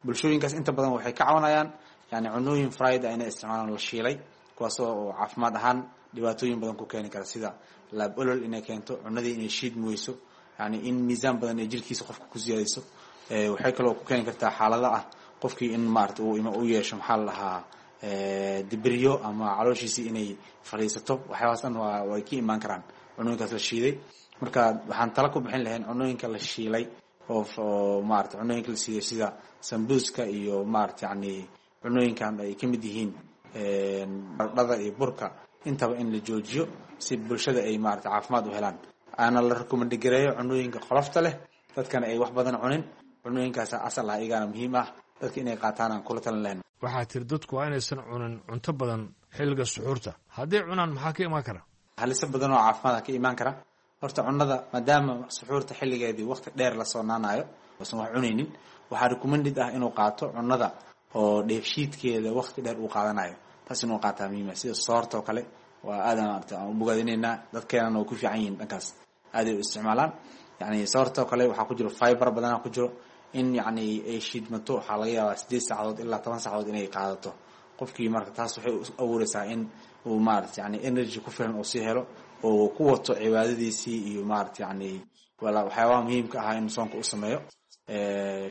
Bulshooyinkaas inta badan waxay ka cawanayaan yani cunooyin fried ah inay isticmaalaan, la shiilay, kuwaasoo oo caafimaad ahaan dhibaatooyin badan ku keeni kara, sida laab olol inay keento, cunadii inay shiidmi weyso, yani in miisaan badan ay jirkiisa qofka ku siyaadiso. Waxay kaloo ku keeni kartaa xaalada ah qofkii in maarata uu u yeesho maxaa la dhahaa dibiryo ama calooshiisii inay fadhiisato. Waxyaabahaas dhan waa way ka imaan karaan cunooyinkaas la shiiday. Marka waxaan tala ku bixin lahayn cunooyinka la shiilay oo oo maarata cunooyinka la shiiday sida sambuuska iyo maarata yani cunooyinkan ay ka mid yihiin baradhada iyo burka intaba in la joojiyo, si bulshada ay maarata caafimaad u helaan, aana la recommend gareeyo cunooyinka qolofta leh, dadkana ay wax badan cunin. Cunooyinkaas asal ah iyagana muhiim ah dadka inay qaataan aan kula talin lahayn. Waxaa tiri dadku waa inaysan cunin cunto badan xilliga suxuurta. Hadday cunaan maxaa ka imaan kara? Haliso badan oo caafimaad ka imaan kara. Horta cunada maadaama suxuurta xilligeedii waqti dheer la soonaanayo Uusan wax cunaynin, waxaa recommended ah inuu qaato cunnada oo dheefshiidkeeda waqti dheer uu qaadanayo. Taas inuu qaataa muhiima, sida soorta oo kale. Waa aad maarata aan u bogaadinaynaa, dadkeenana way ku fiican yihiin dhankaas, aaday u isticmaalaan. Yani soorta oo kale waxaa ku jiro fiber badanaa ku jiro. In yacni ay shiidmato waxaa laga yaabaa sideed saacadood ilaa toban saacadood inay qaadato qofkii. Marka taas waxay u abuureysaa in uu maarata yani energy ku filan uu sii helo oo ku wato cibaadadiisii iyo maarata yani wala waxyaabaha muhiimka ahaa inuu soonka u sameeyo,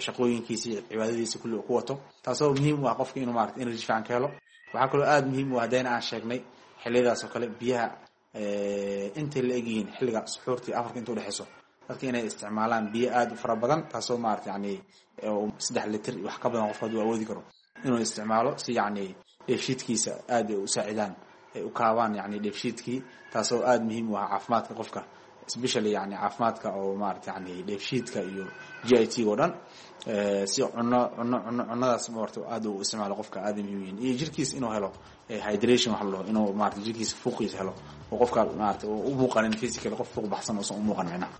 shaqooyinkiisii, cibaadadiisi kulli uu ku wato, taasoo muhiim u ah qofka inuu maarata energy fiican ka helo. Waxaa kaloo aada muhiim u ah, haddayna aan sheegnay xilliyadaas oo kale biyaha intay la egyihiin xilliga suxuurta iyo afarka inta udhexeyso, dadka inay isticmaalaan biyo aada u fara badan, taasoo maarata yani saddex litir wax ka badan qofka hadduu awoodi karo inuu isticmaalo, si yacni dheefshiidkiisa aada ay u saacidaan, ay u kaabaan yani dheefshiidkii, taasoo aada muhiim u ah caafimaadka qofka, especially yani caafimaadka oo maarata yani dheefshiidka iyo G I T oo dhan. Si cuno cuno cuno cunadaas maarata aada u isticmaalo qofka aada muhiim yihiin, iyo jirkiisa inuu helo hydration wax la dhaho, inuu maarata jirkiisa fuuqiisa helo oo qofka maarata u muuqanin physically qof fuuq baxsan uusan u muuqan micnaha.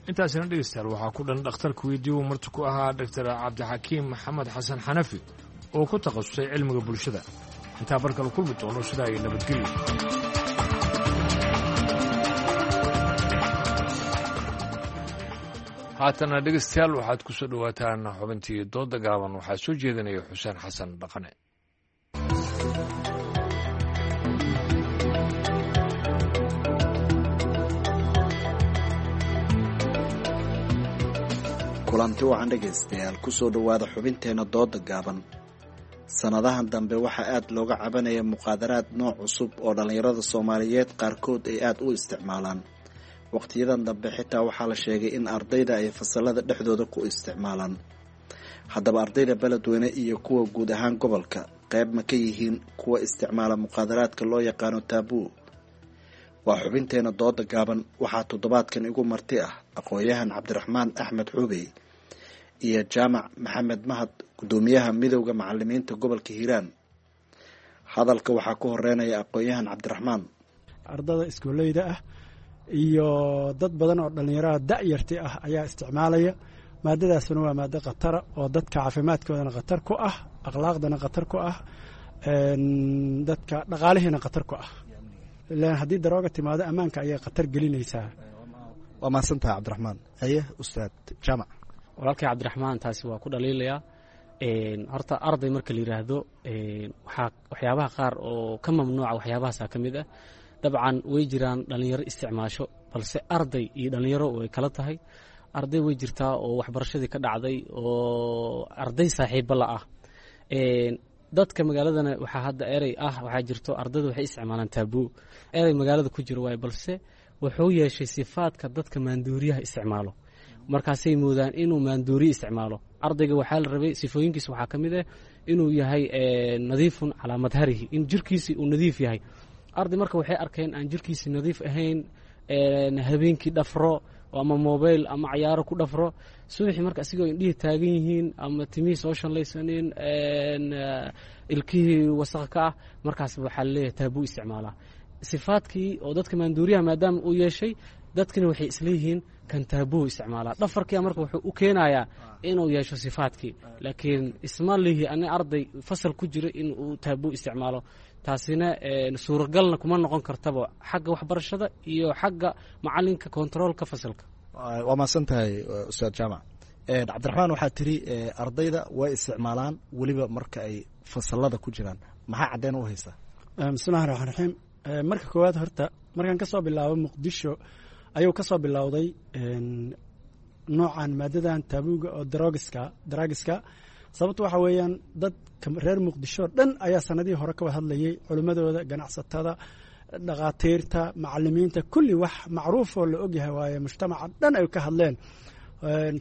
Intaasina dhegeystayaal waxaa ku dhan dhakhtarka weydiiyu marti ku ahaa Doctor Cabdixakiim Maxamed Xasan Xanafi oo ku takhasusay cilmiga bulshada. Intaa barkale kulmi doono, sidaa iyo nabadgelyo. Haatana dhegeystayaal waxaad ku soo dhowaataan xubintii dooda gaaban. Waxaa soo jeedinaya Xuseen Xasan Dhaqane. Kulanti wacan dhegaystayaal, kusoo dhowaada xubinteenna dooda gaaban. Sannadahan dambe waxaa aada looga cabanaya muqaadaraad nooc cusub oo dhallinyarada Soomaaliyeed qaarkood ay aada u isticmaalaan. Waqtiyadan dambe xitaa waxaa la sheegay in ardayda ay fasalada dhexdooda ku isticmaalaan. Haddaba ardayda Beledweyne iyo kuwa guud ahaan gobolka qayb ma ka yihiin kuwa isticmaala muqaadaraadka loo yaqaano taabuu? Waa xubinteena dooda gaaban. Waxaa toddobaadkan igu marti ah aqoon-yahan Cabdiraxmaan Axmed Xuubey iyo Jaamac Maxamed Mahad, guddoomiyaha midowda macalimiinta gobolka Hiiraan. Hadalka waxaa ku horeynaya aqoon-yahan Cabdiraxmaan. Ardada iskooleyda ah iyo dad badan oo dhallinyarada da'yarti ah ayaa isticmaalaya maadadaasuna. Waa maado khatara oo dadka caafimaadkoodana khatar ku ah, akhlaaqdana khatar ku ah, dadka dhaqaalihiina khatar ku ah, ilaan haddii darooga timaado ammaanka ayay khatar gelinaysaa. Waa mahadsantaha Cabdiraxmaan. Haye ustaad Jaamac. Walaalkay Cabdiraxmaan taasi waa ku dhaliilayaa. Horta arday marka la yidhaahdo, waxaa waxyaabaha qaar oo ka mamnuuca waxyaabahaasa ka mid ah. Dabcan way jiraan dhallinyaro isticmaasho, balse arday iyo dhallinyaro way kala tahay. Arday way jirtaa oo waxbarashadii ka dhacday oo arday saaxiibo la ah dadka magaaladana. Waxaa hadda erey ah waxaa jirto ardayda waxay isticmaalaan taabuu, erey magaalada ku jiro waaye, balse wuxuu yeeshay sifaadka dadka maanduuriyaha isticmaalo. Markaasay moodaan inuu maanduuriye isticmaalo ardayga. Waxaa la rabay sifooyinkiisa waxaa ka mid ah inuu yahay nadiifun calaa madharihi, in jirkiisi uu nadiif yahay arday. Marka waxay arkeen aan jirkiisi nadiif ahayn, habeenkii dhafro ama mobile ama cayaaro ku dhafro, subaxii marka asigoo indhihii taagan yihiin ama timihii soo shanlaysanin, ilkihii wasaq ka ah, markaas waxaa laleeyahay taabuu isticmaalaa. Sifaadkii oo dadka maanduuriyaha maadaama uu yeeshay, dadkina waxay isleeyihiin kan taabuu isticmaalaa. Dhafarkia marka wuxuu u keenayaa inuu yeesho sifaadkii, laakiin isma lihi ani arday fasal ku jiro in uu taabuu isticmaalo. Taasina suuragalna kuma noqon kartaba xagga waxbarashada iyo xagga macalinka kontaroolka fasalka. Waa mahadsan tahay ustaad Jaamac. Cabdiraxmaan, waxaa tiri ardayda way isticmaalaan weliba marka ay fasalada ku jiraan. Maxaa caddeyn u haysaa? Bismillahi raxmaan raxiim. Marka koowaad horta markaan ka soo bilaabo Muqdisho ayuu ka soo bilowday noocan maadadan taabuuga oo drogiska dragiska. Sababtu waxa weeyaan dadka reer Muqdisho dhan ayaa sanadihii hore ka wada hadlayay, culimmadooda, ganacsatada, dhakhaatiirta, macalimiinta, kulli. Wax macruuf oo la ogyahay waaye, mujtamaca dhan ay ka hadleen,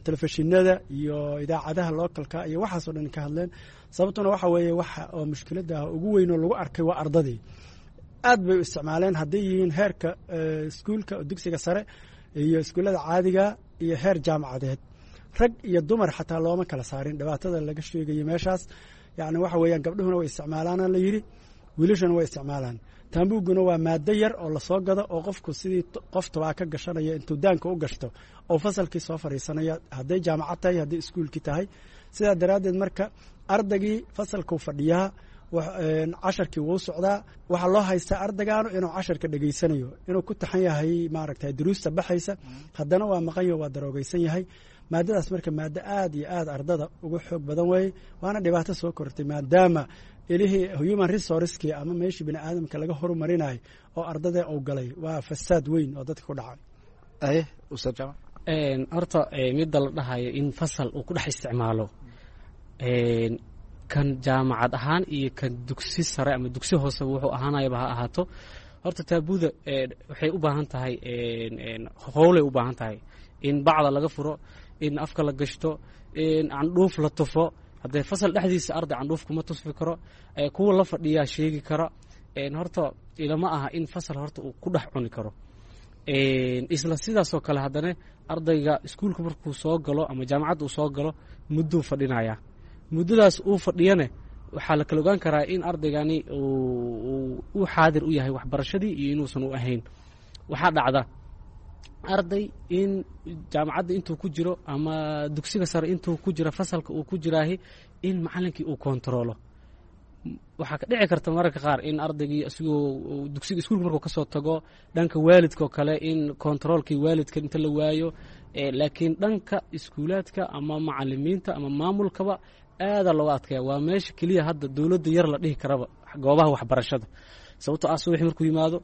telefishinada iyo idaacadaha localka iyo waxaasoo dhan ka hadleen. Sababtuna waxa weeye waxa oo mushkiladda ugu weyn oo lagu arkay waa ardadii aad bay u isticmaaleen, hadday yihiin heerka iskuulka dugsiga sare iyo iskuullada caadiga iyo heer jaamacadeed, rag iyo dumar xataa looma kala saarin. Dhibaatada laga sheegayo meeshaas yacni waxa weeyaan gabdhuhuna way isticmaalaana la yidhi, wiilashuna way isticmaalaan. Taambuuguna waa maado yar oo lasoo gado oo qofku sidii qof tobaa ka gashanaya intuu daanka u gashto oo fasalkii soo fadhiisanaya, hadday jaamacad tahay, hadday iskuulkii tahay. Sidaa daraaddeed marka ardaygii fasalkuu fadhiyaa, casharkii wuu socdaa, waxaa loo haystaa ardaygaanu inuu casharka dhegeysanayo, inuu ku taxan yahay maaragtay duruusta baxaysa, haddana waa maqan yaho, waa daroogeysan yahay. Maadadaas marka maado aad iyo aad ardada uga xoog badan weeye, waana dhibaato soo kortay maadaama ilihii human resourcekii ama meeshii bini aadamka laga horumarinayo oo ardada uu galay. Waa fasaad weyn oo dadka ku dhacay. Horta midda la dhahayo in fasal uu ku dhex isticmaalo, kan jaamacad ahaan iyo kan dugsi sare ama dugsi hoose wuxuu ahaanayaba ha ahaato, horta taabuuda waxay u baahan tahay howlay u baahan tahay in bacda laga furo, in afka la gashto, in candhuuf la tufo. Haddee fasal dhexdiisa arday candhuuf kuma tusfi karo, kuwa la fadhiyaa sheegi kara. Horta ilama aha in fasal horta uu ku dhex cuni karo. Isla sidaasoo kale haddana ardayga iskuulka markuu soo galo ama jaamacadda uu soo galo mudduu fadhinayaa. Muddadaas uu fadhiyane waxaa la kala ogaan karaa in ardaygani uu xaadir u yahay waxbarashadii iyo inuusan u ahayn. Waxaa dhacda arday in jaamacadda intuu ku jiro ama dugsiga sare intuu ku jiro fasalka uu ku jiraahi in macalinkii uu kontaroolo. Waxaa ka dhici karta mararka qaar in ardaygii isagoo dugsiga iskuulka markuu kasoo tago dhanka waalidka oo kale in kontaroolkii waalidka inta la waayo, laakiin dhanka iskuulaadka ama macalimiinta ama maamulkaba aadaa looga adkaya. Waa meesha keliya hadda dowladda yar la dhihi karaba goobaha waxbarashada, sababtoo ah subaxii markuu yimaado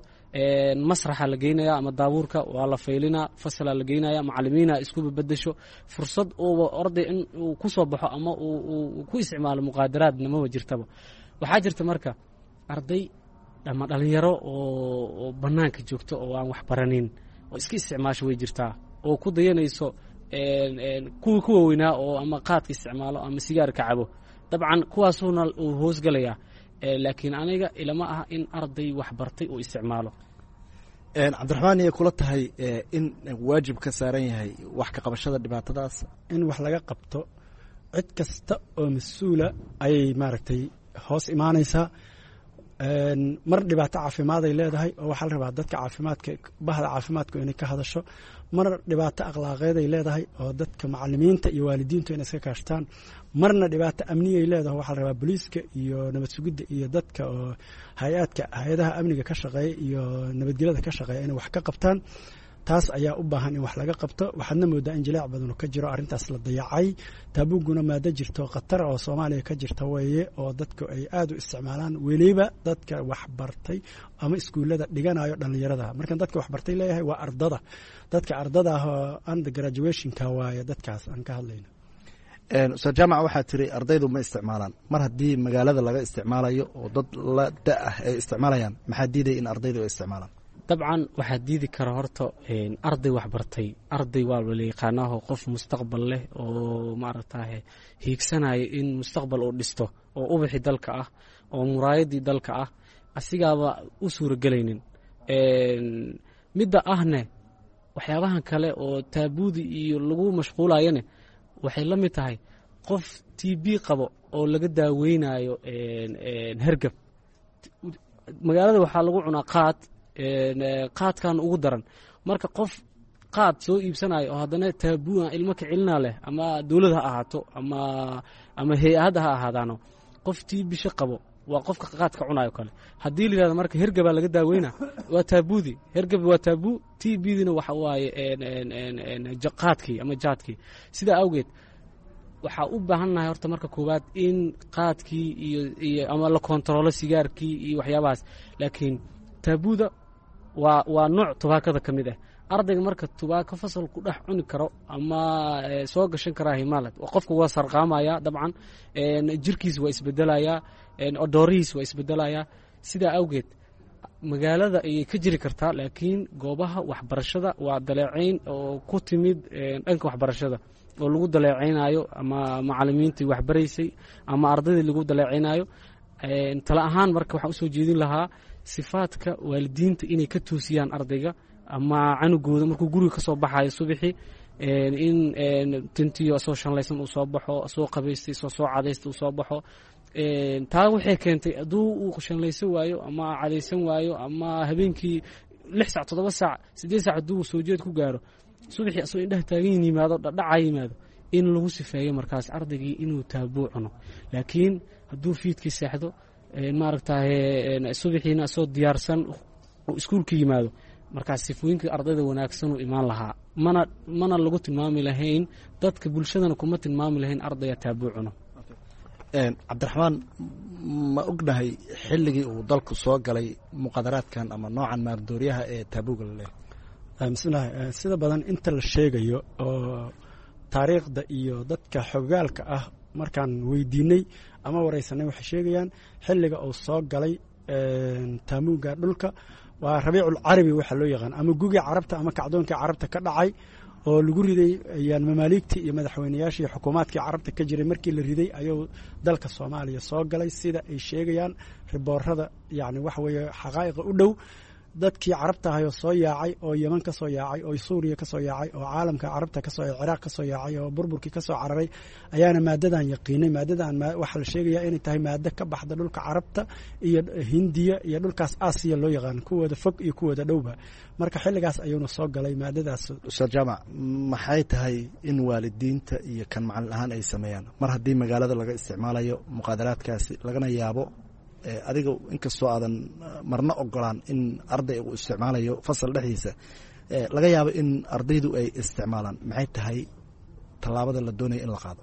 masraxa la geynaya ama daabuurka waa la faylinaa, fasalaa la geynaya, macalimiina isku bedesho, fursad uuba arday in uu ku soo baxo ama uu ku isticmaalo muqaadaraadna maba jirtaba. Waxaa jirta marka arday ama dhalinyaro oo bannaanka joogto oo aan wax baranin oo iska isticmaasho way jirtaa, oo ku dayanayso kuwii ku waaweynaa oo ama qaadka isticmaalo ama sigaarka cabo. Dabcan kuwaasuna uu hoosgalayaa, laakiin aniga ilama aha in arday wax bartay uu isticmaalo. Cabdiraxmaan, iyay kula tahay in waajib ka saaran yahay wax ka qabashada dhibaatadaas? In wax laga qabto cid kasta oo mas-uula ayay maaragtay hoos imaanaysaa. Mar dhibaato caafimaad ay leedahay oo waxaa la rabaa dadka caafimaadka, bahda caafimaadku inay ka hadasho. Mar dhibaato akhlaaqeed ay leedahay oo dadka macalimiinta iyo waalidiintu inay iska kaashtaan. Marna dhibaato amniyay leedahay, waxaa la rabaa booliiska iyo nabad sugidda iyo dadka oo hay-aadka hay-adaha amniga ka shaqeeya iyo nabadgelyada ka shaqeeya inay wax ka qabtaan. Taas ayaa u baahan in wax laga qabto. Waxaadna moodaa in jileec badanu ka jiro arrintaas la dayacay. Taabuuguna maado jirto khatar oo Soomaaliya ka jirta weeye oo dadku ay aad u isticmaalaan, weliba dadka waxbartay ama iskuullada dhiganayo dhallinyarada. Markan dadka waxbartay leeyahay waa ardada, dadka ardada ah oo under graduationka waaye dadkaas aan ka hadlayno. Ustaad Jaamac, waxaa tiri ardaydu ma isticmaalaan. Mar haddii magaalada laga isticmaalayo oo dad la da ah ay isticmaalayaan, maxaa diidaya in ardaydu ay isticmaalaan? Dabcan waxaa diidi kara horta arday waxbartay, arday waa la yaqaanaaho, qof mustaqbal leh oo maaragtaye hiigsanaya in mustaqbal uu dhisto oo ubaxii dalka ah oo muraayadii dalka ah asigaaba u suuragelaynin. Midda ahne waxyaabahan kale oo taabuudi iyo lagu mashquulayane waxay la mid tahay qof t b qabo oo laga daaweynayo hergab. Magaalada waxaa lagu cunaa qaad, qaadkan ugu daran. Marka qof qaad soo iibsanayo oo haddana taabua ilmo kicilina leh, ama dowlad ha ahaato ama ama hay-adda ha ahaadaano, qof tii bisho qabo waa qofka qaadka cunayo kale. Haddii la yihahdo marka hergabaa laga daaweyna, waa taabuudi, hergab waa taabuu, t bdina waxa waaye qaadkii ama jaadkii. Sidaa awgeed waxaa u baahannahay horta marka koowaad in qaadkii iyo iyo ama la kontaroolo sigaarkii iyo waxyaabahaas, laakiin taabuuda waa waa nooc tubaakada ka mid ah. Ardayga marka tubaako fasal ku dhex cuni karo ama soo gashan karaa himaalad, qofka waa sarqaamaya dabcan, jirkiis waa isbedelayaa, odoorihiis waa isbedelayaa. Sidaa awgeed magaalada ayay ka jiri kartaa, laakiin goobaha waxbarashada waa daleecayn oo ku timid dhanka waxbarashada oo lagu daleecaynayo ama macalimiintii waxbaraysay ama ardaydii lagu daleecaynayo. Tala ahaan marka waxaan usoo jeedin lahaa sifaadka waalidiinta inay ka toosiyaan ardayga ama canugooda markuu guriga ka soo baxayo subaxii, in tintiyo asoo shanlaysan uu soo baxo, asoo qabaystay, asoo soo cadaystay uu soo baxo. Taa waxay keentay hadduu uu shanlaysan waayo ama cadaysan waayo ama habeenkii lix saac, toddoba saac, siddeed saac hadduu soo jeed ku gaaro, subaxii asagoo indhaha taagan yimaado, dhadhaca yimaado, in lagu sifeeyo markaas ardaygii inuu taabuu cuno. Laakiin hadduu fiidkii seexdo, maaragtaye, subaxiina asoo diyaarsan uu iskuulka yimaado, markaas sifooyinka ardayda wanaagsan uu imaan lahaa, mana mana lagu tilmaami lahayn, dadka bulshadana kuma tilmaami lahayn ardaya taabuu cuno. Cabdiraxmaan, ma ognahay xilligii uu dalku soo galay muqaadaraadkan ama noocan maardooryaha ee taabuuga la leeyahay? Bismillahi, sida badan inta la sheegayo oo taariikhda iyo dadka xogaalka ah markaan weydiinay ama wareysanay, waxay sheegayaan xilliga uu soo galay taamuuga dhulka waa Rabiicul Carabi waxaa loo yaqaan, ama gugii Carabta ama kacdoonkii Carabta ka dhacay oo lagu riday ayaan mamaaliigtii iyo madaxweynayaashii iyo xukuumaadkii Carabta ka jiray. Markii la riday ayuu dalka Soomaaliya soo galay, sida ay sheegayaan riboorada, yacni waxa weeye xaqaa'iqa u dhow. Dadkii Carabta ahayoo soo yaacay oo Yeman ka soo yaacay oo Suuriya ka soo yaacay oo caalamka Carabta kasoo, Ciraaq ka soo yaacay oo burburkii ka soo cararay ayaana maadadan yaqiinay. Maadadan waxaa la sheegayaa inay tahay maado ka baxda dhulka Carabta iyo Hindiya iyo dhulkaas Aasiya loo yaqaan, kuwooda fog iyo kuwooda dhowba. Marka xilligaas ayuuna soo galay maadadaas. Ustaad Jaamac, maxay tahay in waalidiinta iyo kan macalin ahaan ay sameeyaan mar haddii magaalada laga isticmaalayo muqaadaraadkaasi, lagana yaabo adiga inkastoo aadan marna ogolaan in arday uu isticmaalayo fasal dhexdiisa, laga yaabo in ardaydu ay isticmaalaan? Maxay tahay tallaabada la doonaya in la qaado?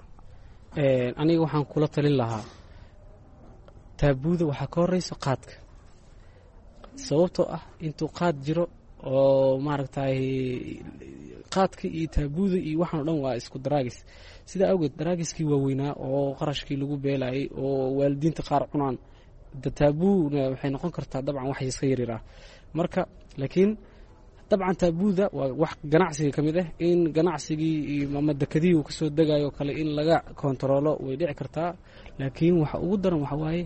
Aniga waxaan kula talin lahaa, taabuuda waxaa ka horeysa qaadka, sababtoo ah intuu qaad jiro oo maaragtay qaadka iyo taabuuda iyo waxaan o dhan waa isku daraagis. Sidaa awgeed daraagiskii waaweynaa oo qarashkii lagu beelayay oo waalidiinta qaar cunaan, taabuuna waxay noqon kartaa dabcan wax iska yaryar ah marka. Laakiin dabcan taabuuda waa wax ganacsiga ka mid ah, in ganacsigii ama dekadihii uu kasoo degayo kale in laga kontaroolo way dhici kartaa. Laakiin waxa ugu daran waxa waaye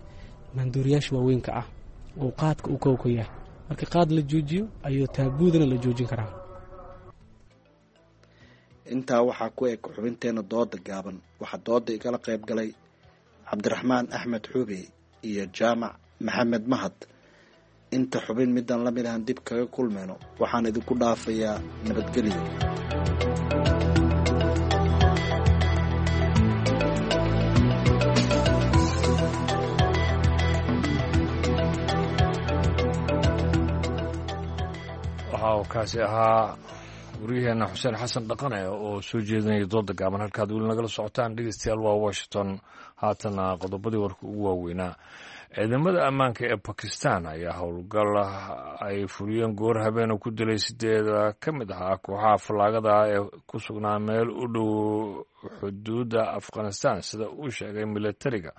maanduuriyaasha waaweynka ah oo qaadka uu kowka yahay. Marka qaad la joojiyo ayuu taabuudana la joojin karaa. Intaa waxaa ku eg xubinteena dooda gaaban. Waxaa dooda igala qayb galay Cabdiraxmaan Axmed Xuube iyo Jaamac Maxamed Mahad. Inta xubin midaan la mid ahan dib kaga kulmayno, waxaan idinku dhaafayaa nabadgelyo. Waxa uu kaasi ahaa waryaheena Xuseen Xasan Dhaqane oo soo jeedinaya dooda gaaban. Halkaad weli nagala socotaan, dhegeystayaal, waa Washington. Haatana qodobadii warka ugu waaweynaa. Ciidamada ammaanka ee Bakistan ayaa howlgal ay fuliyeen goor habeena ku dilay sideeda ka mid ahaa kooxaha fallaagada ee ku sugnaa meel u dhow xuduudda Afghanistan, sida uu sheegay militariga,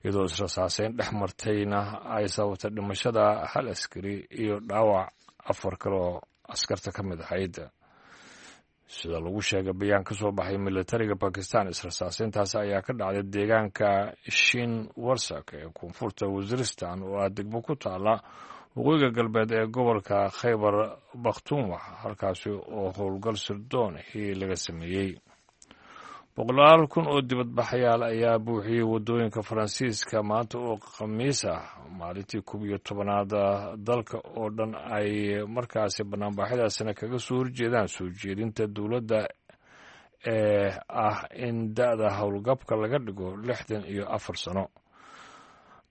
iyadoo israsaaseyn dhex martayna ay sababtay dhimashada hal askari iyo dhaawac afar kale oo askarta ka mid ahayd, sida lagu sheegay bayaan ka soo baxay militariga Bakistan. Israsaaseyntaasi ayaa ka dhacday deegaanka Shin Warsak ee koonfurta Waziristan, oo ah degmo ku taala waqooyiga galbeed ee gobolka Khaybar Bakhtunwa, halkaasi oo howlgal sirdoonihii laga sameeyey. Boqolaal kun oo dibadbaxayaal ayaa buuxiyey waddooyinka Faransiiska maanta oo Khamiis ah, maalintii koob iyo tobanaad dalka oo dhan ay markaasi banaanbaxyadaasina kaga soo horjeedaan soo jeedinta dowladda ee ah in da-da howlgabka laga dhigo lixdan iyo afar sano.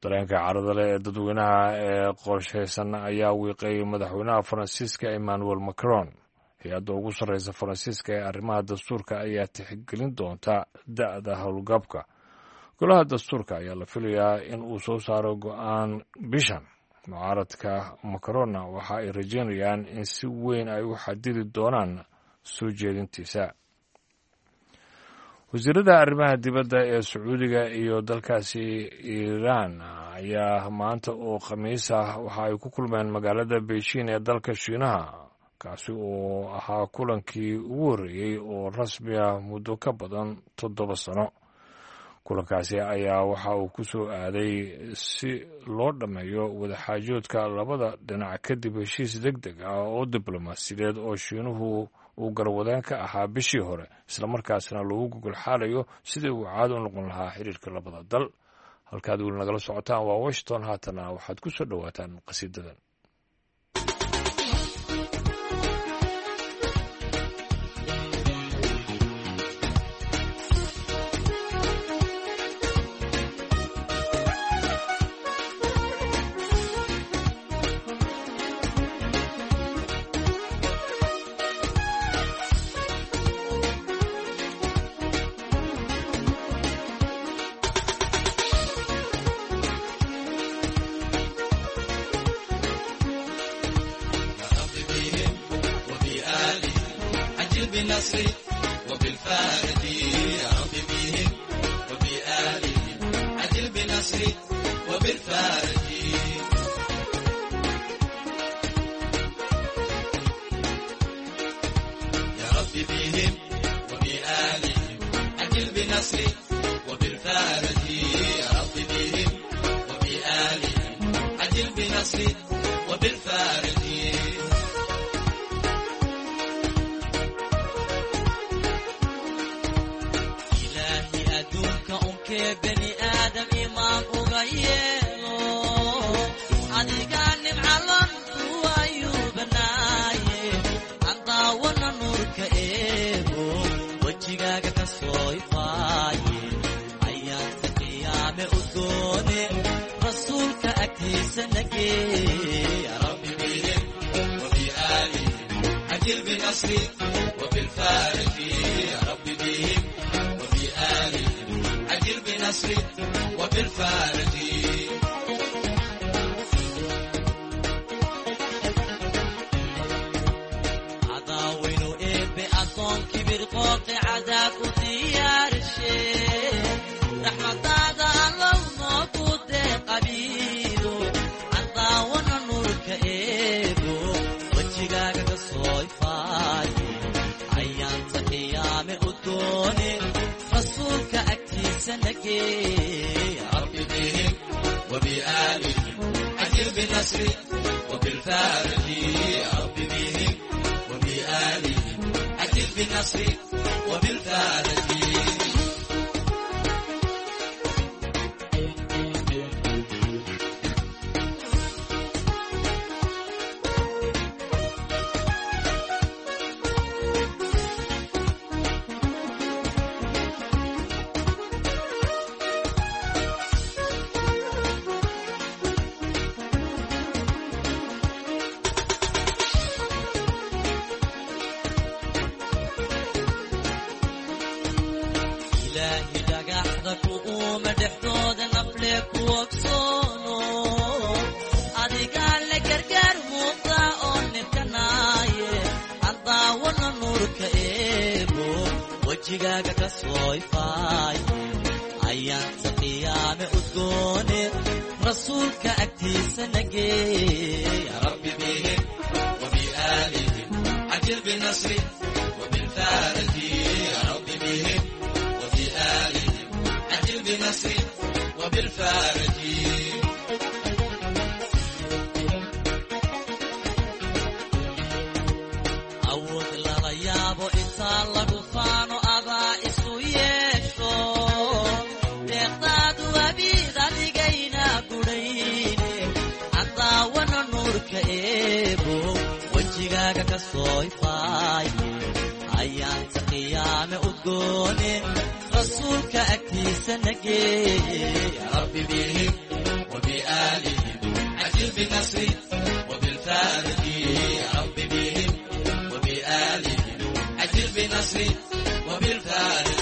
Dareenka carada leh ee dadweynaha ee qorshaysan ayaa wiiqay madaxweynaha Faransiiska Emmanuel Macron. Hay-adda ugu sarreysa Faransiiska ee arrimaha dastuurka ayaa tixgelin doonta da-da howlgabka. Golaha dastuurka ayaa la filayaa in uu soo saaro go-aan bishan. Mucaaradka Macronna waxa ay rajeynayaan in si weyn ay u xadidi doonaan soo jeedintiisa. Wasiirada arrimaha dibadda ee Sacuudiga iyo dalkaasi Iiraan ayaa maanta oo Khamiis ah waxa ay ku kulmeen magaalada Beijing ee dalka Shiinaha, kaasi oo ahaa kulankii ugu horreeyey oo rasmi ah muddo ka badan toddoba sano. Kulankaasi ayaa waxa uu ku soo aaday si loo dhammeeyo wadaxaajoodka labada dhinac kadib heshiis deg deg ah oo diblomaasiyadeed oo Shiinuhu uu garwadeen ka ahaa bishii hore, islamarkaasna lagu gogol xaalayo sidii uu caado u noqon lahaa xiriirka labada dal. Halkaad weli nagala socotaan waa Washington. Haatana waxaad ku soo dhowaataan qasiidadan. بالنصر وبالفارج يا رب بهم وبآلهم عجل بنصر وبالفارج. يا رب بهم وبآلهم عجل بنصر وبالفارج يا رب بهم وبآلهم عجل بنصر وبالفارج. بني آدم إمام أغيره أديقان معلم وأيوب ناي أنطاونا نورك إيبو وجيغاك كسوي فاي أيام تقيام أدوني رسولك أكيس نجي. يا ربي بهم وبآلهم عجل بنصري وبالفارج يا ربي بهم وبآلهم عجل بنصري وبالفارج. عضاوين إبي أصون كبير قوقي عذاب وديار الشيخ رحمة الله نوكو قبيلو عضاونا نورك إبو وجيغاك كصوي فاي أيام تقيام أدوني رسولك أكتي. يا رب بهم وبآلهم عجل بنصري وبالفارج يا رب بهم وبآلهم عجل بنصري وبالفارج. wajigaaga ka soo ifaay ayaanta qiyaame udgoone rasuulka agtiisa nagee. يا رب بهم وبآلهم عجل بنصري وبالفارج يا رب بهم وبآلهم عجل بنصري وبالفارج. Awood lala yaabo intaa lagu faano adaa isu yeesho deeqdaadu abiid adigayna gudhayne cadaawana nuurka eebo wejigaaga ka soo ifaay ayaanta qiyaame udgoone rasuulka agtiisa nagee. يا رب بهم وبآلهم عجل بنصري وبالفارج يا رب بهم وبآلهم عجل بنصري وبالفارج.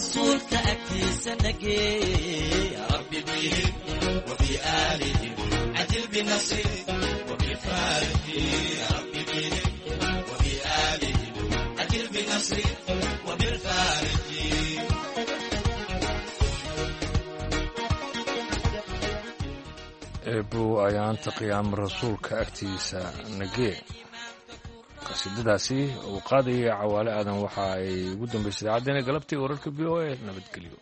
Rasuulka agtiisa nagee. Ya Rabbi bihim wabiaalihim cajil binasri wabilfaariji. Ya Rabbi bihim wabiaalihim cajil binasri wabilfaariji. Eebow ayaanta qiyaama rasuulka agtiisa nagee. Qasiidadaasi uu qaadayay Cawaale Aadan waxa ay ugu dambaysay idaacaddeenna galabtii wararka V O A. Nabadgelyo.